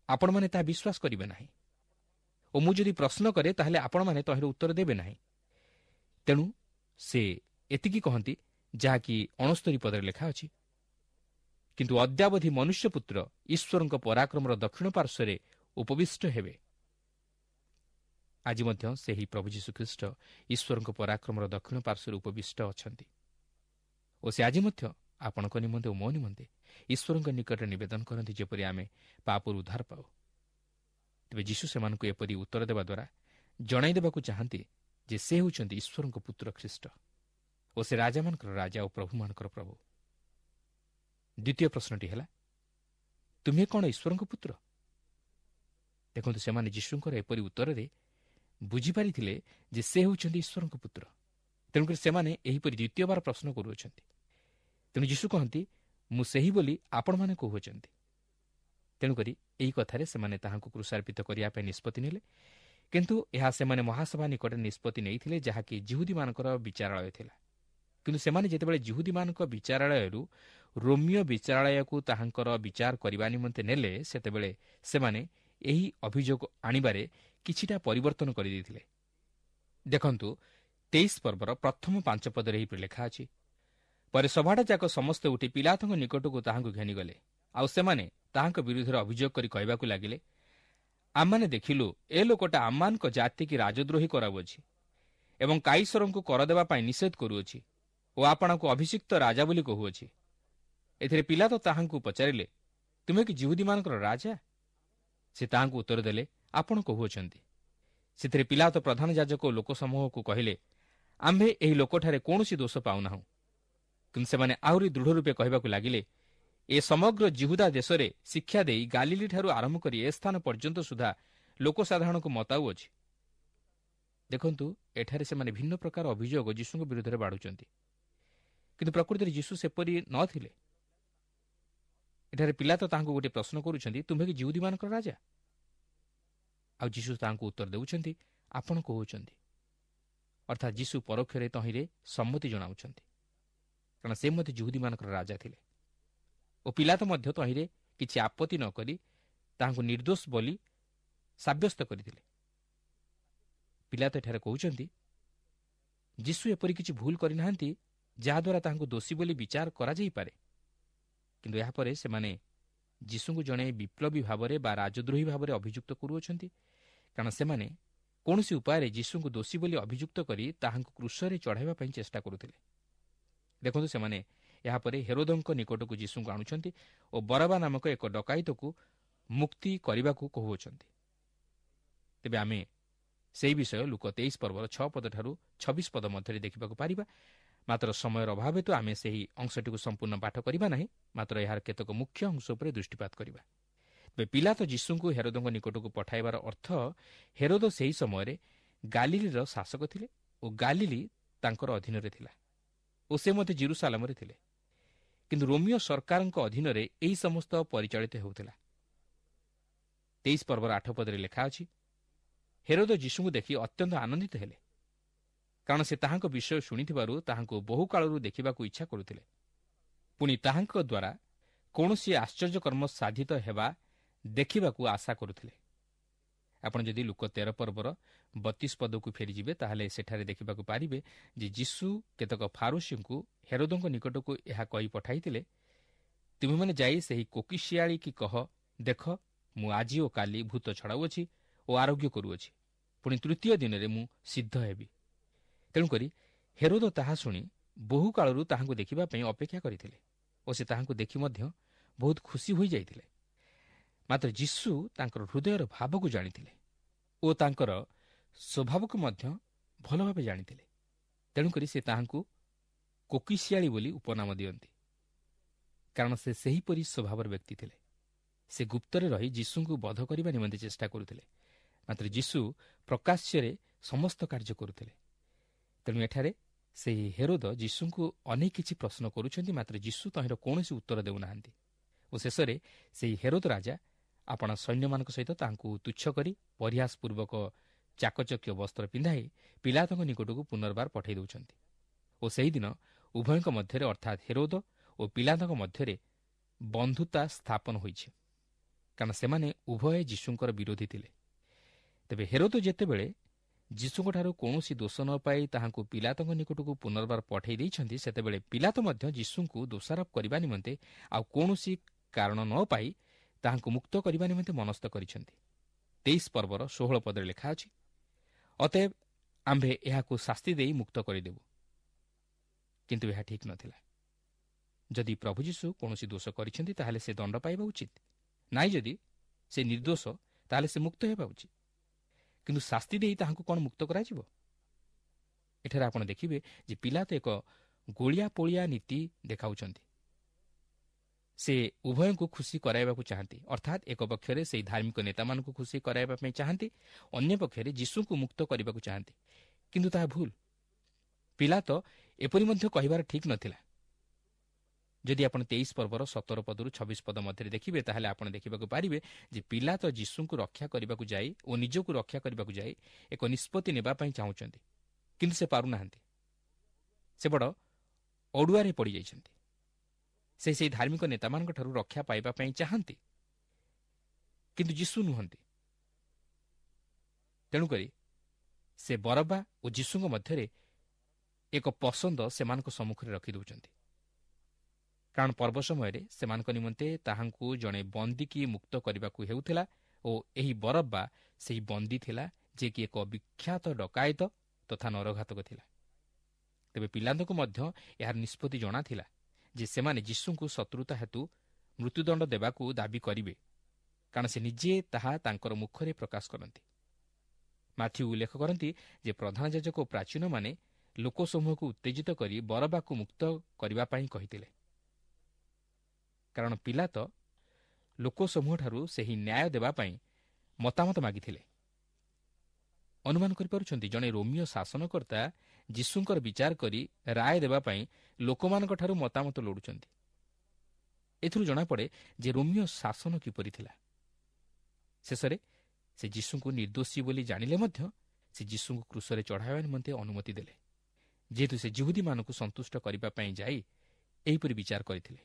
ଆପଣମାନେ ତାହା ବିଶ୍ୱାସ କରିବେ ନାହିଁ, ଓ ମୁଁ ଯଦି ପ୍ରଶ୍ନ କରେ ତାହେଲେ ଆପଣମାନେ ତହିଁର ଉତ୍ତର ଦେବେ ନାହିଁ। ତେଣୁ ସେ ଏତିକି କହନ୍ତି ଯାହାକି ଅଣସ୍ତରୀ ପଦରେ ଲେଖା ଅଛି, କିନ୍ତୁ ଅଦ୍ୟାବଧି ମନୁଷ୍ୟପୁତ୍ର ଈଶ୍ୱରଙ୍କ ପରାକ୍ରମର ଦକ୍ଷିଣ ପାର୍ଶ୍ୱରେ ଉପବିଷ୍ଟ ହେବେ। ଆଜି ମଧ୍ୟ ସେହି ପ୍ରଭୁ ଯୀଶୁଖ୍ରୀଷ୍ଟ ଈଶ୍ୱରଙ୍କ ପରାକ୍ରମର ଦକ୍ଷିଣ ପାର୍ଶ୍ୱରେ ଉପବିଷ୍ଟ ଅଛନ୍ତି ଓ ସେ ଆଜି ମଧ୍ୟ ଆପଣଙ୍କ ନିମନ୍ତେ ଓ ମୋ ନିମନ୍ତେ ଈଶ୍ୱରଙ୍କ ନିକଟରେ ନିବେଦନ କରନ୍ତି ଯେପରି ଆମେ ପାପରୁ ଉଦ୍ଧାର ପାଉ। ତେବେ ଯୀଶୁ ସେମାନଙ୍କୁ ଏପରି ଉତ୍ତର ଦେବା ଦ୍ୱାରା ଜଣାଇ ଦେବାକୁ ଚାହାନ୍ତି ଯେ ସେ ହେଉଛନ୍ତି ଈଶ୍ୱରଙ୍କ ପୁତ୍ର ଖ୍ରୀଷ୍ଟ ଓ ସେ ରାଜାମାନଙ୍କର ରାଜା ଓ ପ୍ରଭୁମାନଙ୍କର ପ୍ରଭୁ। ଦ୍ୱିତୀୟ ପ୍ରଶ୍ନଟି ହେଲା, ତୁମେ କ'ଣ ଈଶ୍ୱରଙ୍କ ପୁତ୍ର? ଦେଖନ୍ତୁ, ସେମାନେ ଯୀଶୁଙ୍କର ଏପରି ଉତ୍ତରରେ ବୁଝିପାରିଥିଲେ ଯେ ସେ ହେଉଛନ୍ତି ଈଶ୍ୱରଙ୍କ ପୁତ୍ର, ତେଣୁକରି ସେମାନେ ଏହିପରି ଦ୍ୱିତୀୟବାର ପ୍ରଶ୍ନ କରୁଅଛନ୍ତି। ତେଣୁ ଯୀଶୁ କହନ୍ତି, ମୁଁ ସେହି ବୋଲି ଆପଣମାନେ କହୁଅଛନ୍ତି। ତେଣୁକରି ଏହି କଥାରେ ସେମାନେ ତାହାଙ୍କୁ କ୍ରୁଶାର୍ପିତ କରିବା ପାଇଁ ନିଷ୍ପତ୍ତି ନେଲେ। କିନ୍ତୁ ଏହା ସେମାନେ ମହାସଭା ନିକଟରେ ନିଷ୍ପତ୍ତି ନେଇଥିଲେ, ଯାହାକି ଯିହୁଦୀମାନଙ୍କର ବିଚାରାଳୟ ଥିଲା। କିନ୍ତୁ ସେମାନେ ଯେତେବେଳେ ଯିହୁଦୀମାନଙ୍କ ବିଚାରାଳୟରୁ ରୋମୀୟ ବିଚାରାଳୟକୁ ତାହାଙ୍କର ବିଚାର କରିବା ନିମନ୍ତେ ନେଲେ, ସେତେବେଳେ ସେମାନେ ଏହି ଅଭିଯୋଗ ଆଣିବାରେ କିଛିଟା ପରିବର୍ତ୍ତନ କରିଦେଇଥିଲେ। ଦେଖନ୍ତୁ, ତେଇଶ ପର୍ବର ପ୍ରଥମ ପାଞ୍ଚ ପଦରେ ଏହିପରି ଲେଖା ଅଛି, ପରେ ସଭାଟା ଯାକ ସମସ୍ତେ ଉଠି ପିଲାତଙ୍କ ନିକଟକୁ ତାହାଙ୍କୁ ଘେନିଗଲେ। ଆଉ ସେମାନେ ତାହାଙ୍କ ବିରୁଦ୍ଧରେ ଅଭିଯୋଗ କରି କହିବାକୁ ଲାଗିଲେ, ଆମମାନେ ଦେଖିଲୁ ଏ ଲୋକଟା ଆମମାନଙ୍କ ଜାତିକି ରାଜଦ୍ରୋହୀ କରାଉଅଛି ଏବଂ କାଇସରଙ୍କୁ କର ଦେବା ପାଇଁ ନିଷେଧ କରୁଅଛି ଓ ଆପଣଙ୍କୁ ଅଭିଷିକ୍ତ ରାଜା ବୋଲି କହୁଅଛି। ଏଥିରେ ପିଲାତ ତାହାଙ୍କୁ ପଚାରିଲେ, ତୁମେ କି ଯିହୁଦୀମାନଙ୍କର ରାଜା? ସେ ତାହାଙ୍କୁ ଉତ୍ତର ଦେଲେ, ଆପଣ କହୁଅଛନ୍ତି। ସେଥିରେ ପିଲାତ ପ୍ରଧାନ ଯାଜକ ଓ ଲୋକସମୂହକୁ କହିଲେ, ଆମ୍ଭେ ଏହି ଲୋକଠାରେ କୌଣସି ଦୋଷ ପାଉନାହୁଁ। କିନ୍ତୁ ସେମାନେ ଆହୁରି ଦୃଢ଼ ରୂପେ କହିବାକୁ ଲାଗିଲେ, ଏ ସମଗ୍ର ଜିହୁଦା ଦେଶରେ ଶିକ୍ଷା ଦେଇ ଗାଲିଲିଠାରୁ ଆରମ୍ଭ କରି ଏ ସ୍ଥାନ ପର୍ଯ୍ୟନ୍ତ ସୁଦ୍ଧା ଲୋକସାଧାରଣଙ୍କୁ ମତାଉଅଛି। ଦେଖନ୍ତୁ, ଏଠାରେ ସେମାନେ ଭିନ୍ନ ପ୍ରକାର ଅଭିଯୋଗ ଯୀଶୁଙ୍କ ବିରୁଦ୍ଧରେ ବାଢ଼ୁଛନ୍ତି, କିନ୍ତୁ ପ୍ରକୃତରେ ଯୀଶୁ ସେପରି ନଥିଲେ। ଏଠାରେ ପିଲାତ ତାହାଙ୍କୁ ଗୋଟିଏ ପ୍ରଶ୍ନ କରୁଛନ୍ତି, ତୁମ୍ଭେ କି ଯିହୁଦୀମାନଙ୍କର ରାଜା? ଆଉ ଯୀଶୁ ତାହାଙ୍କୁ ଉତ୍ତର ଦେଉଛନ୍ତି, ଆପଣ କହୁଛନ୍ତି। ଅର୍ଥାତ୍ ଯୀଶୁ ପରୋକ୍ଷରେ ତହିଁରେ ସମ୍ମତି ଜଣାଉଛନ୍ତି, କାରଣ ସେ ମଧ୍ୟ ଯିହୁଦୀମାନଙ୍କର ରାଜା ଥିଲେ ଓ ପିଲାତ ମଧ୍ୟ ତହିଁରେ କିଛି ଆପତ୍ତି ନ କରି ତାହାଙ୍କୁ ନିର୍ଦ୍ଦୋଷ ବୋଲି ସାବ୍ୟସ୍ତ କରିଥିଲେ। ପିଲାତ ଏଠାରେ କହୁଛନ୍ତି, ଯୀଶୁ ଏପରି କିଛି ଭୁଲ କରିନାହାନ୍ତି ଯାହାଦ୍ୱାରା ତାହାଙ୍କୁ ଦୋଷୀ ବୋଲି ବିଚାର କରାଯାଇପାରେ। କିନ୍ତୁ ଏହାପରେ ସେମାନେ ଯୀଶୁଙ୍କୁ ଜଣେ ବିପ୍ଳବୀ ଭାବରେ ବା ରାଜଦ୍ରୋହୀ ଭାବରେ ଅଭିଯୁକ୍ତ କରୁଅଛନ୍ତି, କାରଣ ସେମାନେ କୌଣସି ଉପାୟରେ ଯୀଶୁଙ୍କୁ ଦୋଷୀ ବୋଲି ଅଭିଯୁକ୍ତ କରି ତାହାଙ୍କୁ କ୍ରୁଶରେ ଚଢ଼ାଇବା ପାଇଁ ଚେଷ୍ଟା କରୁଥିଲେ। ଦେଖନ୍ତୁ, ସେମାନେ ଏହାପରେ ହେରୋଦଙ୍କ ନିକଟକୁ ଯୀଶୁଙ୍କୁ ଆଣୁଛନ୍ତି ଓ ବରବା ନାମକ ଏକ ଡକାୟତକୁ ମୁକ୍ତି କରିବାକୁ କହୁଅଛନ୍ତି। ତେବେ ଆମେ ସେହି ବିଷୟ ଲୁକ ତେଇଶ ପର୍ବର ଛଅ ପଦଠାରୁ ଛବିଶ ପଦ ମଧ୍ୟରେ ଦେଖିବାକୁ ପାରିବା। ମାତ୍ର ସମୟର ଅଭାବ ହେତୁ ଆମେ ସେହି ଅଂଶଟିକୁ ସମ୍ପୂର୍ଣ୍ଣ ପାଠ କରିବା ନାହିଁ, ମାତ୍ର ଏହାର କେତେକ ମୁଖ୍ୟ ଅଂଶ ଉପରେ ଦୃଷ୍ଟିପାତ କରିବା। ତେବେ ପିଲାତ ଯୀଶୁଙ୍କୁ ହେରୋଦଙ୍କ ନିକଟକୁ ପଠାଇବାର ଅର୍ଥ, ହେରୋଦ ସେହି ସମୟରେ ଗାଲିଲିର ଶାସକ ଥିଲେ ଓ ଗାଲିଲି ତାଙ୍କର ଅଧୀନରେ ଥିଲା ଓ ସେ ମଧ୍ୟ ଜିରୁସାଲାମରେ ଥିଲେ। କିନ୍ତୁ ରୋମିଓ ସରକାରଙ୍କ ଅଧୀନରେ ଏହି ସମସ୍ତ ପରିଚାଳିତ ହେଉଥିଲା। ତେଇଶ ପର୍ବର ଆଠ ପଦରେ ଲେଖା ଅଛି, ହେରୋଦ ଯୀଶୁଙ୍କୁ ଦେଖି ଅତ୍ୟନ୍ତ ଆନନ୍ଦିତ ହେଲେ, କାରଣ ସେ ତାହାଙ୍କ ବିଷୟ ଶୁଣିଥିବାରୁ ତାହାଙ୍କୁ ବହୁକାଳରୁ ଦେଖିବାକୁ ଇଚ୍ଛା କରୁଥିଲେ। ପୁଣି ତାହାଙ୍କ ଦ୍ୱାରା କୌଣସି ଆଶ୍ଚର୍ଯ୍ୟକର୍ମ ସାଧିତ ହେବା ଦେଖିବାକୁ ଆଶା କରୁଥିଲେ। ଆପଣ ଯଦି ଲୁକ ତେର ପର୍ବର ବତିଶ ପଦକୁ ଫେରିଯିବେ, ତାହେଲେ ସେଠାରେ ଦେଖିବାକୁ ପାରିବେ ଯେ ଯୀଶୁ କେତେକ ଫାରୁସୀଙ୍କୁ ହେରୋଦଙ୍କ ନିକଟକୁ ଏହା କହି ପଠାଇଥିଲେ, ତୁମେମାନେ ଯାଇ ସେହି କୋକିଶିଆଳି କି କହ, ଦେଖ ମୁଁ ଆଜି ଓ କାଲି ଭୂତ ଛଡ଼ାଉଅଛି ଓ ଆରୋଗ୍ୟ କରୁଅଛି, ପୁଣି ତୃତୀୟ ଦିନରେ ମୁଁ ସିଦ୍ଧ ହେବି। ତେଣୁକରି ହେରୋଦ ତାହା ଶୁଣି ବହୁ କାଳରୁ ତାହାଙ୍କୁ ଦେଖିବା ପାଇଁ ଅପେକ୍ଷା କରିଥିଲେ ଓ ସେ ତାହାଙ୍କୁ ଦେଖି ମଧ୍ୟ ବହୁତ ଖୁସି ହୋଇଯାଇଥିଲେ। ମାତ୍ର ଯୀଶୁ ତାଙ୍କର ହୃଦୟର ଭାବକୁ ଜାଣିଥିଲେ ଓ ତାଙ୍କର ସ୍ୱଭାବକୁ ମଧ୍ୟ ଭଲ ଭାବେ ଜାଣିଥିଲେ। ତେଣୁକରି ସେ ତାହାଙ୍କୁ କୋକିଶିଆଳି ବୋଲି ଉପନାମ ଦିଅନ୍ତି, କାରଣ ସେ ସେହିପରି ସ୍ୱଭାବର ବ୍ୟକ୍ତି ଥିଲେ। ସେ ଗୁପ୍ତରେ ରହି ଯୀଶୁଙ୍କୁ ବଧ କରିବା ନିମନ୍ତେ ଚେଷ୍ଟା କରୁଥିଲେ, ମାତ୍ର ଯୀଶୁ ପ୍ରକାଶ୍ୟରେ ସମସ୍ତ କାର୍ଯ୍ୟ କରୁଥିଲେ। ତେଣୁ ଏଠାରେ ସେହି ହେରୋଦ ଯୀଶୁଙ୍କୁ ଅନେକ କିଛି ପ୍ରଶ୍ନ କରୁଛନ୍ତି, ମାତ୍ର ଯୀଶୁ ତହିଁର କୌଣସି ଉତ୍ତର ଦେଉନାହାନ୍ତି। ଓ ଶେଷରେ ସେହି ହେରୋଦ ରାଜା ଆପଣା ସୈନ୍ୟମାନଙ୍କ ସହିତ ତାହାଙ୍କୁ ତୁଚ୍ଛ କରି ପରିହାସ ପୂର୍ବକ ଚାକଚକ୍ୟ ବସ୍ତ୍ର ପିନ୍ଧାଇ ପିଲାତଙ୍କ ନିକଟକୁ ପୁନର୍ବାର ପଠାଇ ଦେଉଛନ୍ତି। ଓ ସେହିଦିନ ଉଭୟଙ୍କ ମଧ୍ୟରେ, ଅର୍ଥାତ୍ ହେରୋଦ ଓ ପିଲାତଙ୍କ ମଧ୍ୟରେ ବନ୍ଧୁତା ସ୍ଥାପନ ହୋଇଛି, କାରଣ ସେମାନେ ଉଭୟେ ଯୀଶୁଙ୍କର ବିରୋଧୀ ଥିଲେ। ତେବେ ହେରୋଦ ଯେତେବେଳେ ଯୀଶୁଙ୍କଠାରୁ କୌଣସି ଦୋଷ ନ ପାଇ ତାହାଙ୍କୁ ପିଲାତଙ୍କ ନିକଟକୁ ପୁନର୍ବାର ପଠାଇ ଦେଇଛନ୍ତି, ସେତେବେଳେ ପିଲାତ ମଧ୍ୟ ଯୀଶୁଙ୍କୁ ଦୋଷାରୋପ କରିବା ନିମନ୍ତେ ଆଉ କୌଣସି କାରଣ ନ ପାଇ ତାହାଙ୍କୁ ମୁକ୍ତ କରିବା ନିମନ୍ତେ ମନସ୍ଥ କରିଛନ୍ତି। ତେଇଶ ପର୍ବର ଷୋହଳ ପଦରେ ଲେଖା ଅଛି, ଅତଏବ ଆମ୍ଭେ ଏହାକୁ ଶାସ୍ତି ଦେଇ ମୁକ୍ତ କରିଦେବୁ। କିନ୍ତୁ ଏହା ଠିକ୍ ନଥିଲା। ଯଦି ପ୍ରଭୁ ଯୀଶୁ କୌଣସି ଦୋଷ କରିଛନ୍ତି, ତାହେଲେ ସେ ଦଣ୍ଡ ପାଇବା ଉଚିତ। ନାଇଁ, ଯଦି ସେ ନିର୍ଦ୍ଦୋଷ, ତାହେଲେ ସେ ମୁକ୍ତ ହେବା ଉଚିତ। କିନ୍ତୁ ଶାସ୍ତି ଦେଇ ତାହାଙ୍କୁ କ'ଣ ମୁକ୍ତ କରାଯିବ? ଏଠାରେ ଆପଣ ଦେଖିବେ ଯେ ପିଲାତ ଏକ ଗୋଳିଆ ପୋଳିଆ ନୀତି ଦେଖାଉଛନ୍ତି। ସେ ଉଭୟଙ୍କୁ ଖୁସି କରାଇବାକୁ ଚାହାନ୍ତି, ଅର୍ଥାତ୍ ଏକ ପକ୍ଷରେ ସେହି ଧାର୍ମିକ ନେତାମାନଙ୍କୁ ଖୁସି କରାଇବା ପାଇଁ ଚାହାନ୍ତି, ଅନ୍ୟ ପକ୍ଷରେ ଯୀଶୁଙ୍କୁ ମୁକ୍ତ କରିବାକୁ ଚାହାନ୍ତି। କିନ୍ତୁ ତାହା ଭୁଲ। ପିଲାତ ଏପରି ମଧ୍ୟ କହିବାର ଠିକ୍ ନଥିଲା। ଯଦି ଆପଣ ତେଇଶ ପର୍ବର ସତର ପଦରୁ ଛବିଶ ପଦ ମଧ୍ୟରେ ଦେଖିବେ, ତାହେଲେ ଆପଣ ଦେଖିବାକୁ ପାରିବେ ଯେ ପିଲାତ ଯୀଶୁଙ୍କୁ ରକ୍ଷା କରିବାକୁ ଯାଇ ଓ ନିଜକୁ ରକ୍ଷା କରିବାକୁ ଯାଇ ଏକ ନିଷ୍ପତ୍ତି ନେବା ପାଇଁ ଚାହୁଁଛନ୍ତି, କିନ୍ତୁ ସେ ପାରୁନାହାନ୍ତି। ସେ ବଡ଼ ଅଡ଼ୁଆରେ ପଡ଼ିଯାଇଛନ୍ତି। ସେ ସେହି ଧାର୍ମିକ ନେତାମାନଙ୍କଠାରୁ ରକ୍ଷା ପାଇବା ପାଇଁ ଚାହାନ୍ତି, କିନ୍ତୁ ଯୀଶୁ ନୁହନ୍ତି। ତେଣୁକରି ସେ ବରବା ଓ ଯୀଶୁଙ୍କ ମଧ୍ୟରେ ଏକ ପସନ୍ଦ ସେମାନଙ୍କ ସମ୍ମୁଖରେ ରଖିଦେଉଛନ୍ତି, କାରଣ ପର୍ବ ସମୟରେ ସେମାନଙ୍କ ନିମନ୍ତେ ତାହାଙ୍କୁ ଜଣେ ବନ୍ଦୀକି ମୁକ୍ତ କରିବାକୁ ହେଉଥିଲା ଓ ଏହି ବରବ୍ବା ସେହି ବନ୍ଦୀ ଥିଲା, ଯିଏକି ଏକ ବିଖ୍ୟାତ ଡକାୟତ ତଥା ନରଘାତକ ଥିଲା। ତେବେ ପିଲାଙ୍କୁ ମଧ୍ୟ ଏହାର ନିଷ୍ପତ୍ତି ଜଣାଥିଲା ଯେ ସେମାନେ ଯୀଶୁଙ୍କୁ ଶତ୍ରୁତା ହେତୁ ମୃତ୍ୟୁଦଣ୍ଡ ଦେବାକୁ ଦାବି କରିବେ, କାରଣ ସେ ନିଜେ ତାହା ତାଙ୍କର ମୁଖରେ ପ୍ରକାଶ କରନ୍ତି। ମାଥ୍ୟୁ ଉଲ୍ଲେଖ କରନ୍ତି ଯେ ପ୍ରଧାନ ଯାଜକ ଓ ପ୍ରାଚୀନମାନେ ଲୋକସମୂହକୁ ଉତ୍ତେଜିତ କରି ବରବାକୁ ମୁକ୍ତ କରିବା ପାଇଁ କହିଥିଲେ, କାରଣ ପିଲାତ ଲୋକସମୂହଠାରୁ ସେହି ନ୍ୟାୟ ଦେବା ପାଇଁ ମତାମତ ମାଗିଥିଲେ। ଅନୁମାନ କରିପାରୁଛନ୍ତି, ଜଣେ ରୋମିଓ ଶାସନକର୍ତ୍ତା ଯୀଶୁଙ୍କର ବିଚାର କରି ରାୟ ଦେବା ପାଇଁ ଲୋକମାନଙ୍କଠାରୁ ମତାମତ ଲୋଡ଼ୁଛନ୍ତି। ଏଥିରୁ ଜଣାପଡ଼େ ଯେ ରୋମିଓ ଶାସନ କିପରି ଥିଲା। ଶେଷରେ ସେ ଯୀଶୁଙ୍କୁ ନିର୍ଦ୍ଦୋଷୀ ବୋଲି ଜାଣିଲେ ମଧ୍ୟ ସେ ଯୀଶୁଙ୍କୁ କ୍ରୁଶରେ ଚଢ଼ାଇବା ନିମନ୍ତେ ଅନୁମତି ଦେଲେ, ଯେହେତୁ ସେ ଯିହୁଦୀମାନଙ୍କୁ ସନ୍ତୁଷ୍ଟ କରିବା ପାଇଁ ଯାଇ ଏହିପରି ବିଚାର କରିଥିଲେ।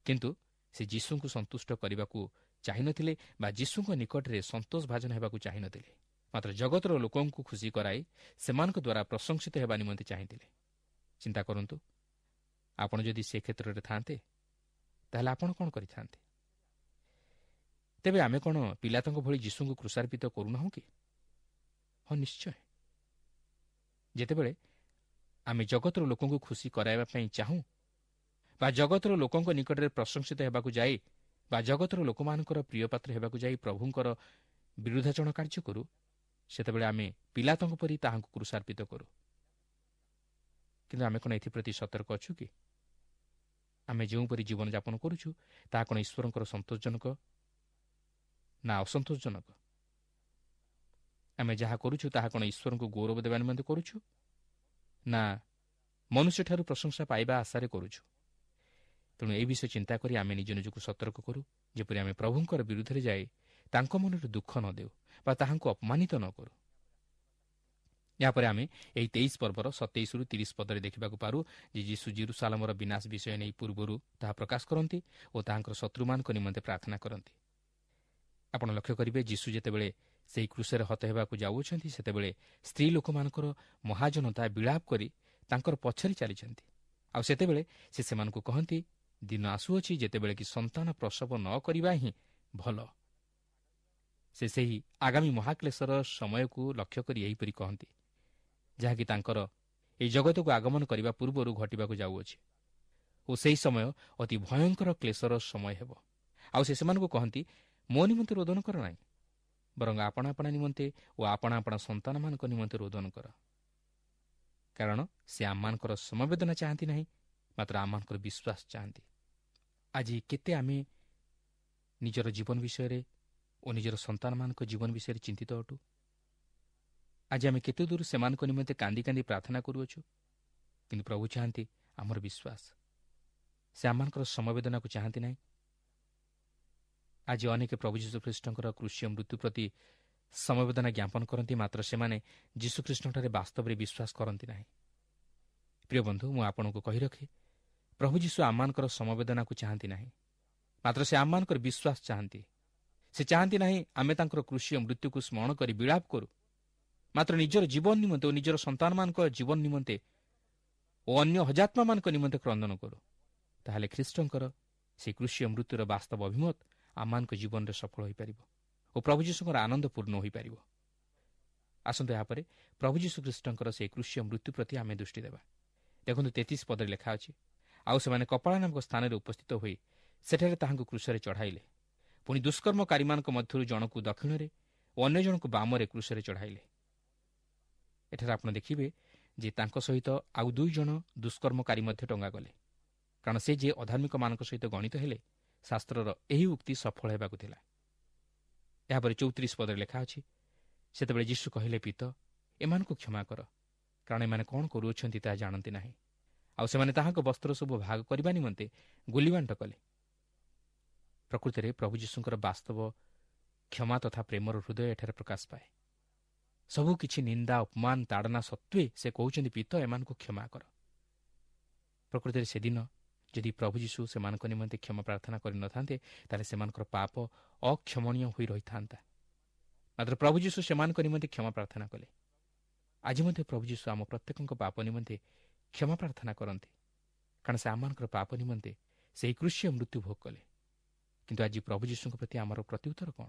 କିନ୍ତୁ ସେ ଯୀଶୁଙ୍କୁ ସନ୍ତୁଷ୍ଟ କରିବାକୁ ଚାହିଁନଥିଲେ ବା ଯୀଶୁଙ୍କ ନିକଟରେ ସନ୍ତୋଷ ଭାଜନ ହେବାକୁ ଚାହିଁନଥିଲେ, ମାତ୍ର ଜଗତର ଲୋକଙ୍କୁ ଖୁସି କରାଇ ସେମାନଙ୍କ ଦ୍ୱାରା ପ୍ରଶଂସିତ ହେବା ନିମନ୍ତେ ଚାହିଁଥିଲେ। ଚିନ୍ତା କରନ୍ତୁ, ଆପଣ ଯଦି ସେ କ୍ଷେତ୍ରରେ ଥାନ୍ତେ ତାହେଲେ ଆପଣ କ'ଣ କରିଥାନ୍ତେ? ତେବେ ଆମେ କ'ଣ ପିଲାତଙ୍କ ଭଳି ଯୀଶୁଙ୍କୁ କୃଷାର୍ପିତ କରୁନାହୁଁ କି? ହଁ, ନିଶ୍ଚୟ। ଯେତେବେଳେ ଆମେ ଜଗତର ଲୋକଙ୍କୁ ଖୁସି କରାଇବା ପାଇଁ ଚାହୁଁ ବା ଜଗତର ଲୋକଙ୍କ ନିକଟରେ ପ୍ରଶଂସିତ ହେବାକୁ ଯାଇ ବା ଜଗତର ଲୋକମାନଙ୍କର ପ୍ରିୟପାତ୍ର ହେବାକୁ ଯାଇ ପ୍ରଭୁଙ୍କର ବିରୁଦ୍ଧାଚରଣ କାର୍ଯ୍ୟ କରୁ, ସେତେବେଳେ ଆମେ ପିଲାତଙ୍କ ପରି ତାହାଙ୍କୁ କୃଷାର୍ପିତ କରୁ। କିନ୍ତୁ ଆମେ କ'ଣ ଏଥିପ୍ରତି ସତର୍କ ଅଛୁ କି? ଆମେ ଯେଉଁପରି ଜୀବନଯାପନ କରୁଛୁ ତାହା କ'ଣ ଈଶ୍ୱରଙ୍କର ସନ୍ତୋଷଜନକ ନା ଅସନ୍ତୋଷଜନକ? ଆମେ ଯାହା କରୁଛୁ ତାହା କ'ଣ ଈଶ୍ୱରଙ୍କୁ ଗୌରବ ଦେବା ନିମନ୍ତେ କରୁଛୁ ନା ମନୁଷ୍ୟଠାରୁ ପ୍ରଶଂସା ପାଇବା ଆଶାରେ କରୁଛୁ? ତେଣୁ ଏହି ବିଷୟ ଚିନ୍ତା କରି ଆମେ ନିଜ ନିଜକୁ ସତର୍କ କରୁ, ଯେପରି ଆମେ ପ୍ରଭୁଙ୍କର ବିରୁଦ୍ଧରେ ଯାଇ ତାଙ୍କ ମନରେ ଦୁଃଖ ନ ଦେଉ ବା ତାହାଙ୍କୁ ଅପମାନିତ ନ କରୁ। ଏହାପରେ ଆମେ ଏହି ତେଇଶ ପର୍ବର ସତେଇଶରୁ ତିରିଶ ପଦରେ ଦେଖିବାକୁ ପାରୁ ଯେ ଯୀଶୁ ଜିରୁସାଲାମର ବିନାଶ ବିଷୟ ନେଇ ପୂର୍ବରୁ ତାହା ପ୍ରକାଶ କରନ୍ତି ଓ ତାହାଙ୍କର ଶତ୍ରୁମାନଙ୍କ ନିମନ୍ତେ ପ୍ରାର୍ଥନା କରନ୍ତି। ଆପଣ ଲକ୍ଷ୍ୟ କରିବେ, ଯୀଶୁ ଯେତେବେଳେ ସେହି କ୍ରୁଶରେ ହତ ହେବାକୁ ଯାଉଅଛନ୍ତି, ସେତେବେଳେ ସ୍ତ୍ରୀ ଲୋକମାନଙ୍କର ମହାଜନତା ବିଳାପ କରି ତାଙ୍କର ପଛରେ ଚାଲିଛନ୍ତି। ଆଉ ସେତେବେଳେ ସେ ସେମାନଙ୍କୁ କହନ୍ତି, ଦିନ ଆସୁଅଛି ଯେତେବେଳେ କି ସନ୍ତାନ ପ୍ରସବ ନ କରିବା ହିଁ ଭଲ। ସେ ସେହି ଆଗାମୀ ମହାକ୍ଲେଶର ସମୟକୁ ଲକ୍ଷ୍ୟ କରି ଏହିପରି କହନ୍ତି, ଯାହାକି ତାଙ୍କର ଏହି ଜଗତକୁ ଆଗମନ କରିବା ପୂର୍ବରୁ ଘଟିବାକୁ ଯାଉଅଛି ଓ ସେହି ସମୟ ଅତି ଭୟଙ୍କର କ୍ଲେଶର ସମୟ ହେବ। ଆଉ ସେ ସେମାନଙ୍କୁ କହନ୍ତି, ମୋ ନିମନ୍ତେ ରୋଦନ କର ନାହିଁ, ବରଂ ଆପଣା ଆପଣା ନିମନ୍ତେ ଓ ଆପଣା ଆପଣା ସନ୍ତାନମାନଙ୍କ ନିମନ୍ତେ ରୋଦନ କର। କାରଣ ସେ ଆମମାନଙ୍କର ସମବେଦନା ଚାହାନ୍ତି ନାହିଁ, ମାତ୍ର ଆମମାନଙ୍କର ବିଶ୍ୱାସ ଚାହାନ୍ତି। ଆଜି କେତେ ଆମେ ନିଜର ଜୀବନ ବିଷୟରେ ଓ ନିଜର ସନ୍ତାନମାନଙ୍କ ଜୀବନ ବିଷୟରେ ଚିନ୍ତିତ ଅଟୁ। ଆଜି ଆମେ କେତେ ଦୂର ସେମାନଙ୍କ ନିମନ୍ତେ କାନ୍ଦି କାନ୍ଦି ପ୍ରାର୍ଥନା କରୁଅଛୁ, କିନ୍ତୁ ପ୍ରଭୁ ଚାହାନ୍ତି ଆମର ବିଶ୍ୱାସ। ସେ ଆମମାନଙ୍କର ସମବେଦନାକୁ ଚାହାନ୍ତି ନାହିଁ। ଆଜି ଅନେକ ପ୍ରଭୁ ଯୀଶୁଖ୍ରୀଷ୍ଟଙ୍କର କୃଷିୟ ମୃତ୍ୟୁ ପ୍ରତି ସମବେଦନା ଜ୍ଞାପନ କରନ୍ତି, ମାତ୍ର ସେମାନେ ଯୀଶୁଖ୍ରୀଷ୍ଟଙ୍କଠାରେ ବାସ୍ତବରେ ବିଶ୍ୱାସ କରନ୍ତି ନାହିଁ। ପ୍ରିୟ ବନ୍ଧୁ, ମୁଁ ଆପଣଙ୍କୁ କହି ରଖେ, ପ୍ରଭୁ ଯୀଶୁ ଆମମାନଙ୍କର ସମବେଦନାକୁ ଚାହାନ୍ତି ନାହିଁ, ମାତ୍ର ସେ ଆମମାନଙ୍କର ବିଶ୍ୱାସ ଚାହାନ୍ତି। ସେ ଚାହାନ୍ତି ନାହିଁ ଆମେ ତାଙ୍କର କୃଷିୟ ମୃତ୍ୟୁକୁ ସ୍ମରଣ କରି ବିଳାପ କରୁ, ମାତ୍ର ନିଜର ଜୀବନ ନିମନ୍ତେ ଓ ନିଜର ସନ୍ତାନମାନଙ୍କ ଜୀବନ ନିମନ୍ତେ ଓ ଅନ୍ୟ ହଜାତ୍ମାମାନଙ୍କ ନିମନ୍ତେ କ୍ରନ୍ଦନ କରୁ। ତାହେଲେ ଖ୍ରୀଷ୍ଟଙ୍କର ସେହି କୃଷିୟ ମୃତ୍ୟୁର ବାସ୍ତବ ଅଭିମତ ଆମମାନଙ୍କ ଜୀବନରେ ସଫଳ ହୋଇପାରିବ ଓ ପ୍ରଭୁ ଯୀଶୁଙ୍କର ଆନନ୍ଦ ପୂର୍ଣ୍ଣ ହୋଇପାରିବ। ଆସନ୍ତୁ ଏହାପରେ ପ୍ରଭୁ ଯୀଶୁ ଖ୍ରୀଷ୍ଟଙ୍କର ସେହି କୃଷିୟ ମୃତ୍ୟୁ ପ୍ରତି ଆମେ ଦୃଷ୍ଟି ଦେବା। ଦେଖନ୍ତୁ, ତେତିଶ ପଦରେ ଲେଖା ଅଛି, ଆଉ ସେମାନେ କପାଳ ନାମକ ସ୍ଥାନରେ ଉପସ୍ଥିତ ହୋଇ ସେଠାରେ ତାହାଙ୍କୁ କ୍ରୁଶରେ ଚଢ଼ାଇଲେ। ପୁଣି ଦୁଷ୍କର୍ମକାରୀମାନଙ୍କ ମଧ୍ୟରୁ ଜଣକୁ ଦକ୍ଷିଣରେ ଓ ଅନ୍ୟ ଜଣକୁ ବାମରେ କ୍ରୁଶରେ ଚଢ଼ାଇଲେ। ଏଠାରେ ଆପଣ ଦେଖିବେ ଯେ ତାଙ୍କ ସହିତ ଆଉ ଦୁଇ ଜଣ ଦୁଷ୍କର୍ମକାରୀ ମଧ୍ୟ ଟଙ୍ଗାଗଲେ, କାରଣ ସେ ଯେ ଅଧାର୍ମିକମାନଙ୍କ ସହିତ ଗଣିତ ହେଲେ, ଶାସ୍ତ୍ରର ଏହି ଉକ୍ତି ସଫଳ ହେବାକୁ ଥିଲା। ଏହାପରେ ଚଉତିରିଶ ପଦରେ ଲେଖା ଅଛି, ସେତେବେଳେ ଯୀଶୁ କହିଲେ, ପିତ, ଏମାନଙ୍କୁ କ୍ଷମା କର, କାରଣ ଏମାନେ କ'ଣ କରୁଅଛନ୍ତି ତାହା ଜାଣନ୍ତି ନାହିଁ। ଆଉ ସେମାନେ ତାହାଙ୍କ ବସ୍ତ୍ର ସବୁ ଭାଗ କରିବା ନିମନ୍ତେ ଗୁଲିବାଣ୍ଟ କଲେ। ପ୍ରକୃତରେ ପ୍ରଭୁ ଯୀଶୁଙ୍କର ବାସ୍ତବ କ୍ଷମା ତଥା ପ୍ରେମର ହୃଦୟ ଏଠାରେ ପ୍ରକାଶ ପାଏ। ସବୁକିଛି ନିନ୍ଦା, ଅପମାନ, ତାଡ଼ନା ସତ୍ତ୍ୱେ ସେ କହୁଛନ୍ତି, ପିତ, ଏମାନଙ୍କୁ କ୍ଷମା କର। ପ୍ରକୃତରେ ସେଦିନ ଯଦି ପ୍ରଭୁ ଯୀଶୁ ସେମାନଙ୍କ ନିମନ୍ତେ କ୍ଷମା ପ୍ରାର୍ଥନା କରିନଥାନ୍ତେ, ତାହେଲେ ସେମାନଙ୍କର ପାପ ଅକ୍ଷମଣୀୟ ହୋଇ ରହିଥାନ୍ତା। ମାତ୍ର ପ୍ରଭୁ ଯୀଶୁ ସେମାନଙ୍କ ନିମନ୍ତେ କ୍ଷମା ପ୍ରାର୍ଥନା କଲେ। ଆଜି ମଧ୍ୟ ପ୍ରଭୁ ଯୀଶୁ ଆମ ପ୍ରତ୍ୟେକଙ୍କ ପାପ ନିମନ୍ତେ କ୍ଷମା ପ୍ରାର୍ଥନା କରନ୍ତି, କାରଣ ସେ ଆମମାନଙ୍କର ପାପ ନିମନ୍ତେ ସେହି କୃଷିୟ ମୃତ୍ୟୁ ଭୋଗ କଲେ। କିନ୍ତୁ ଆଜି ପ୍ରଭୁ ଯୀଶୁଙ୍କ ପ୍ରତି ଆମର ପ୍ରତ୍ୟୁତ୍ତର କ'ଣ?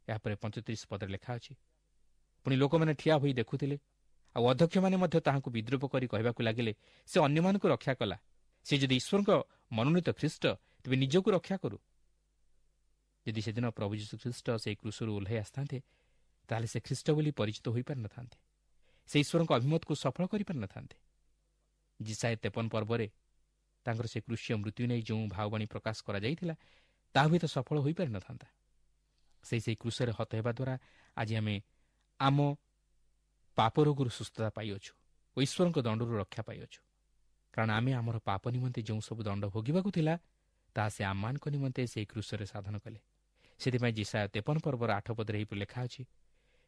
ଏହାପରେ ପଞ୍ଚତିରିଶ ପଦରେ ଲେଖା ଅଛି, ପୁଣି ଲୋକମାନେ ଠିଆ ହୋଇ ଦେଖୁଥିଲେ, ଆଉ ଅଧ୍ୟକ୍ଷମାନେ ମଧ୍ୟ ତାହାଙ୍କୁ ବିଦ୍ରୂପ କରି କହିବାକୁ ଲାଗିଲେ, ସେ ଅନ୍ୟମାନଙ୍କୁ ରକ୍ଷା କଲା, ସେ ଯଦି ଈଶ୍ୱରଙ୍କ ମନୋନୀତ ଖ୍ରୀଷ୍ଟ, ତେବେ ନିଜକୁ ରକ୍ଷା କରୁ। ଯଦି ସେଦିନ ପ୍ରଭୁ ଯୀଶୁ ଖ୍ରୀଷ୍ଟ ସେହି କ୍ରୁଶରୁ ଓହ୍ଲାଇ ଆସିଥାନ୍ତେ, ତାହେଲେ ସେ ଖ୍ରୀଷ୍ଟ ବୋଲି ପରିଚିତ ହୋଇପାରିନଥାନ୍ତେ, ସେ ଈଶ୍ୱରଙ୍କ ଅଭିମତକୁ ସଫଳ କରିପାରିନଥାନ୍ତେ। ଯିଶାଇୟ ତେପନ ପର୍ବରେ ତାଙ୍କର ସେ କୃଷିୟ ମୃତ୍ୟୁ ନେଇ ଯେଉଁ ଭାବବାଣୀ ପ୍ରକାଶ କରାଯାଇଥିଲା, ତାହା ହୁଏତ ସଫଳ ହୋଇପାରିନଥାନ୍ତା। ସେଇ ସେହି କ୍ରୁଶରେ ହତ ହେବା ଦ୍ୱାରା ଆଜି ଆମେ ଆମ ପାପ ରୋଗରୁ ସୁସ୍ଥତା ପାଇଅଛୁ ଓ ଈଶ୍ୱରଙ୍କ ଦଣ୍ଡରୁ ରକ୍ଷା ପାଇଅଛୁ। କାରଣ ଆମେ ଆମର ପାପ ନିମନ୍ତେ ଯେଉଁ ସବୁ ଦଣ୍ଡ ଭୋଗିବାକୁ ଥିଲା, ତାହା ସେ ଆମମାନଙ୍କ ନିମନ୍ତେ ସେହି କ୍ରୁଶରେ ସାଧନ କଲେ। ସେଥିପାଇଁ ଯିଶାଇୟ ତେପନ ପର୍ବର ଆଠ ପଦରେ ଏହିପରି ଲେଖା ଅଛି,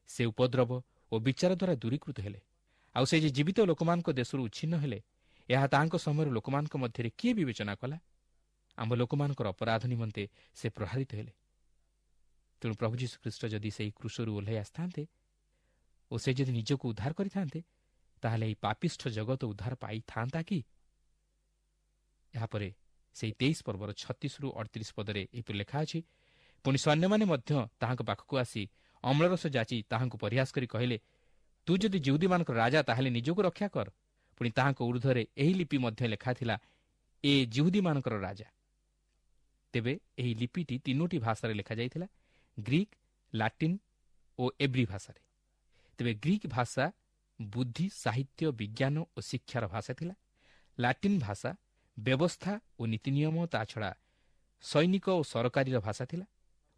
ସେ ଉପଦ୍ରବ ଓ ବିଚାର ଦ୍ୱାରା ଦୂରୀକୃତ ହେଲେ, ଆଉ ସେ ଯେ ଜୀବିତ ଲୋକମାନଙ୍କ ଦେଶରୁ ଉଚ୍ଛିନ୍ନ ହେଲେ, ଏହା ତାହାଙ୍କ ସମୟରେ ଲୋକମାନଙ୍କ ମଧ୍ୟରେ କିଏ ବିବେଚନା କଲା? ଆମ ଲୋକମାନଙ୍କର ଅପରାଧ ନିମନ୍ତେ ସେ ପ୍ରହାରିତ ହେଲେ। ତେଣୁ ପ୍ରଭୁ ଯୀଶୁଖ୍ରୀଷ୍ଟ ଯଦି ସେହି କ୍ରୁଶରୁ ଓହ୍ଲାଇ ଆସିଥାନ୍ତେ ଓ ସେ ଯଦି ନିଜକୁ ଉଦ୍ଧାର କରିଥାନ୍ତେ, ତାହେଲେ ଏହି ପାପିଷ୍ଠ ଜଗତ ଉଦ୍ଧାର ପାଇଥାନ୍ତା କି? ଏହାପରେ ସେହି ତେଇଶ ପର୍ବର ଛତିଶରୁ ଅଠତିରିଶ ପଦରେ ଏହିପରି ଲେଖା ଅଛି, ପୁଣି ସୈନ୍ୟମାନେ ମଧ୍ୟ ତାହାଙ୍କ ପାଖକୁ ଆସି ଅମ୍ଳରସ ଯାଚି ତାହାଙ୍କୁ ପରିହାସ କରି କହିଲେ, ତୁ ଯଦି ଜିହୁଦୀମାନଙ୍କର ରାଜା, ତାହେଲେ ନିଜକୁ ରକ୍ଷା କର। ପୁଣି ତାହାଙ୍କ ଉର୍ଦ୍ଧ୍ୱରେ ଏହି ଲିପି ମଧ୍ୟ ଲେଖା ଥିଲା, ଏ ଜିହୁଦୀମାନଙ୍କର ରାଜା। ତେବେ ଏହି ଲିପିଟି ତିନୋଟି ଭାଷାରେ ଲେଖାଯାଇଥିଲା, ଗ୍ରୀକ୍, ଲାଟିନ୍ ଓ ଏବ୍ରି ଭାଷାରେ। ତେବେ ଗ୍ରୀକ୍ ଭାଷା ବୁଦ୍ଧି, ସାହିତ୍ୟ, ବିଜ୍ଞାନ ଓ ଶିକ୍ଷାର ଭାଷା ଥିଲା। ଲାଟିନ୍ ଭାଷା ବ୍ୟବସ୍ଥା ଓ ନୀତିନିୟମ, ତା ଛଡ଼ା ସୈନିକ ଓ ସରକାରୀର ଭାଷା ଥିଲା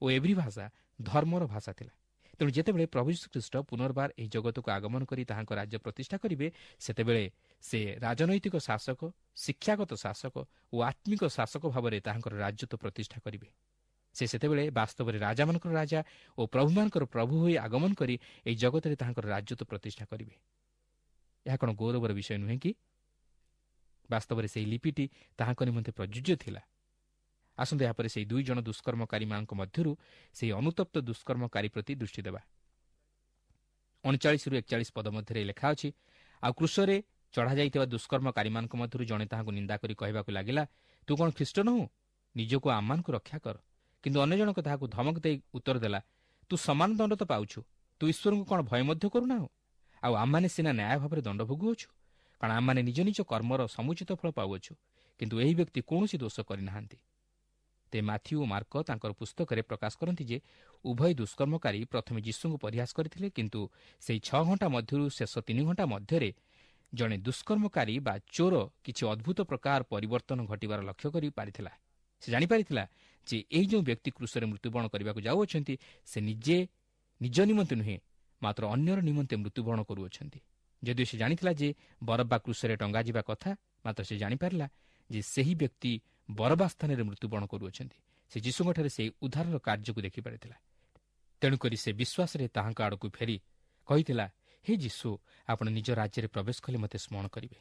ଓ ଏବ୍ରି ଭାଷା ଧର୍ମର ଭାଷା ଥିଲା। ତେଣୁ ଯେତେବେଳେ ପ୍ରଭୁ ଯୀଶୁଖ୍ରୀଷ୍ଟ ପୁନର୍ବାର ଏହି ଜଗତକୁ ଆଗମନ କରି ତାହାଙ୍କ ରାଜ୍ୟ ପ୍ରତିଷ୍ଠା କରିବେ, ସେତେବେଳେ ସେ ରାଜନୈତିକ ଶାସକ, ଶିକ୍ଷାଗତ ଶାସକ ଓ ଆତ୍ମିକ ଶାସକ ଭାବରେ ତାହାଙ୍କର ରାଜତ୍ୱ ପ୍ରତିଷ୍ଠା କରିବେ। ସେ ସେତେବେଳେ ବାସ୍ତବରେ ରାଜାମାନଙ୍କର ରାଜା ଓ ପ୍ରଭୁମାନଙ୍କର ପ୍ରଭୁ ହୋଇ ଆଗମନ କରି ଏହି ଜଗତରେ ତାହାଙ୍କର ରାଜତ୍ୱ ପ୍ରତିଷ୍ଠା କରିବେ। ଏହା କ'ଣ ଗୌରବର ବିଷୟ ନୁହେଁ କି? ବାସ୍ତବରେ ସେହି ଲିପିଟି ତାହାଙ୍କ ନିମନ୍ତେ ପ୍ରଯୁଜ୍ୟ ଥିଲା। ଆସନ୍ତୁ ଏହାପରେ ସେହି ଦୁଇ ଜଣ ଦୁଷ୍କର୍ମକାରୀମାନଙ୍କ ମଧ୍ୟରୁ ସେହି ଅନୁତପ୍ତ ଦୁଷ୍କର୍ମକାରୀ ପ୍ରତି ଦୃଷ୍ଟି ଦେବା। ଅଣଚାଳିଶରୁ ଏକଚାଳିଶ ପଦ ମଧ୍ୟରେ ଲେଖା ଅଛି, ଆଉ କ୍ରୁଶରେ ଚଢ଼ାଯାଇଥିବା ଦୁଷ୍କର୍ମକାରୀମାନଙ୍କ ମଧ୍ୟରୁ ଜଣେ ତାହାଙ୍କୁ ନିନ୍ଦା କରି କହିବାକୁ ଲାଗିଲା, ତୁ କ'ଣ ଖ୍ରୀଷ୍ଟ ନୋହୁ? ନିଜକୁ ଆମମାନଙ୍କୁ ରକ୍ଷା କର। କିନ୍ତୁ ଅନ୍ୟ ଜଣକ ତାହାକୁ ଧମକ ଦେଇ ଉତ୍ତର ଦେଲା, ତୁ ସମାନ ଦଣ୍ଡ ତ ପାଉଛୁ, ତୁ ଈଶ୍ୱରଙ୍କୁ କ'ଣ ଭୟ ମଧ୍ୟ କରୁନାହୁଁ? ଆଉ ଆମମାନେ ସିନା ନ୍ୟାୟ ଭାବରେ ଦଣ୍ଡ ଭୋଗୁଅଛୁ, କାରଣ ଆମମାନେ ନିଜ ନିଜ କର୍ମର ସମୁଚିତ ଫଳ ପାଉଅଛୁ, କିନ୍ତୁ ଏହି ବ୍ୟକ୍ତି କୌଣସି ଦୋଷ କରିନାହାନ୍ତି। ତେ ମାଥିଉ ଓ ମାର୍କ ତାଙ୍କର ପୁସ୍ତକରେ ପ୍ରକାଶ କରନ୍ତି ଯେ ଉଭୟ ଦୁଷ୍କର୍ମକାରୀ ପ୍ରଥମେ ଯୀଶୁଙ୍କୁ ପରିହାସ କରିଥିଲେ, କିନ୍ତୁ ସେହି ଛଅ ଘଣ୍ଟା ମଧ୍ୟରୁ ଶେଷ ତିନି ଘଣ୍ଟା ମଧ୍ୟରେ ଜଣେ ଦୁଷ୍କର୍ମକାରୀ ବା ଚୋର କିଛି ଅଦ୍ଭୁତ ପ୍ରକାର ପରିବର୍ତ୍ତନ ଘଟିବାର ଲକ୍ଷ୍ୟ କରିପାରିଥିଲା। ସେ ଜାଣିପାରିଥିଲା ଯେ ଏହି ଯେଉଁ ବ୍ୟକ୍ତି କ୍ରୁଶରେ ମୃତ୍ୟୁବରଣ କରିବାକୁ ଯାଉଅଛନ୍ତି, ସେ ନିଜେ ନିଜ ନିମନ୍ତେ ନୁହେଁ, ମାତ୍ର ଅନ୍ୟର ନିମନ୍ତେ ମୃତ୍ୟୁବରଣ କରୁଅଛନ୍ତି। ଯଦିଓ ସେ ଜାଣିଥିଲା ଯେ ବରବ୍ବା କ୍ରୁଶରେ ଟଙ୍ଗାଯିବା କଥା, ମାତ୍ର ସେ ଜାଣିପାରିଲା ଯେ ସେହି ବ୍ୟକ୍ତି ବରବା ସ୍ଥାନରେ ମୃତ୍ୟୁବରଣ କରୁଅଛନ୍ତି। ସେ ଯୀଶୁଙ୍କଠାରେ ସେହି ଉଦ୍ଧାରର କାର୍ଯ୍ୟକୁ ଦେଖିପାରିଥିଲା। ତେଣୁକରି ସେ ବିଶ୍ୱାସରେ ତାହାଙ୍କ ଆଡ଼କୁ ଫେରି କହିଥିଲା, ହେ ଯୀଶୁ, ଆପଣ ନିଜ ରାଜ୍ୟରେ ପ୍ରବେଶ କଲେ ମୋତେ ସ୍ମରଣ କରିବେ।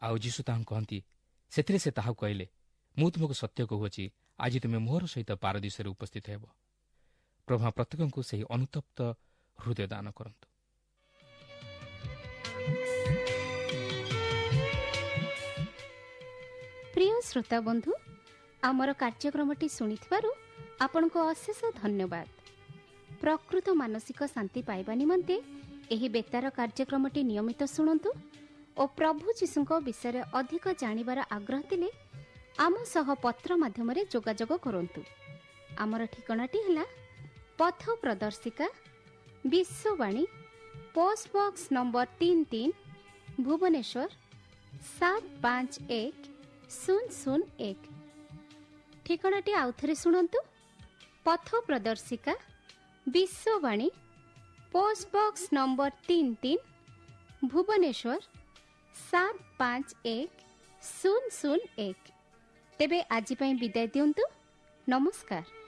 ଆଉ ଯୀଶୁ ତାହାଙ୍କୁ କହନ୍ତି, ସେଥିରେ ସେ ତାହାକୁ କହିଲେ, ମୁଁ ତୁମକୁ ସତ୍ୟ କହୁଅଛି, ଆଜି ତୁମେ ମୋହର ସହିତ ପାରଦୀଶରେ ଉପସ୍ଥିତ ହେବ। ପ୍ରଭୁ ପ୍ରତ୍ୟେକଙ୍କୁ ସେହି ଅନୁତପ୍ତ ହୃଦୟ ଦାନ କରନ୍ତୁ। ପ୍ରିୟ ଶ୍ରୋତା ବନ୍ଧୁ, ଆମର କାର୍ଯ୍ୟକ୍ରମଟି ଶୁଣିଥିବାରୁ ଆପଣଙ୍କୁ ଅଶେଷ ଧନ୍ୟବାଦ। ପ୍ରକୃତ ମାନସିକ ଶାନ୍ତି ପାଇବା ନିମନ୍ତେ ଏହି ବେତାର କାର୍ଯ୍ୟକ୍ରମଟି ନିୟମିତ ଶୁଣନ୍ତୁ ଓ ପ୍ରଭୁ ଯୀଶୁଙ୍କ ବିଷୟରେ ଅଧିକ ଜାଣିବାର ଆଗ୍ରହ ଥିଲେ ଆମ ସହ ପତ୍ର ମାଧ୍ୟମରେ ଯୋଗାଯୋଗ କରନ୍ତୁ। ଆମର ଠିକଣାଟି ହେଲା ପଥ ପ୍ରଦର୍ଶିକା, ବିଶ୍ୱବାଣୀ, ପୋଷ୍ଟ ବକ୍ସ ନମ୍ବର ତିନି ତିନି, ଭୁବନେଶ୍ୱର ସାତ ପାଞ୍ଚ ଏକ ଶୂନ ଶୂନ ଏକ। ଠିକଣାଟି ଆଉଥରେ ଶୁଣନ୍ତୁ, ପଥ ପ୍ରଦର୍ଶିକା, ବିଶ୍ୱବାଣୀ, ପୋଷ୍ଟ ବକ୍ସ ନମ୍ବର ତିନି ତିନି, ଭୁବନେଶ୍ୱର ସାତ ପାଞ୍ଚ ଏକ ଶୂନ ଶୂନ ଏକ। ତେବେ ଆଜି ପାଇଁ ବିଦାୟ ଦିଅନ୍ତୁ। ନମସ୍କାର।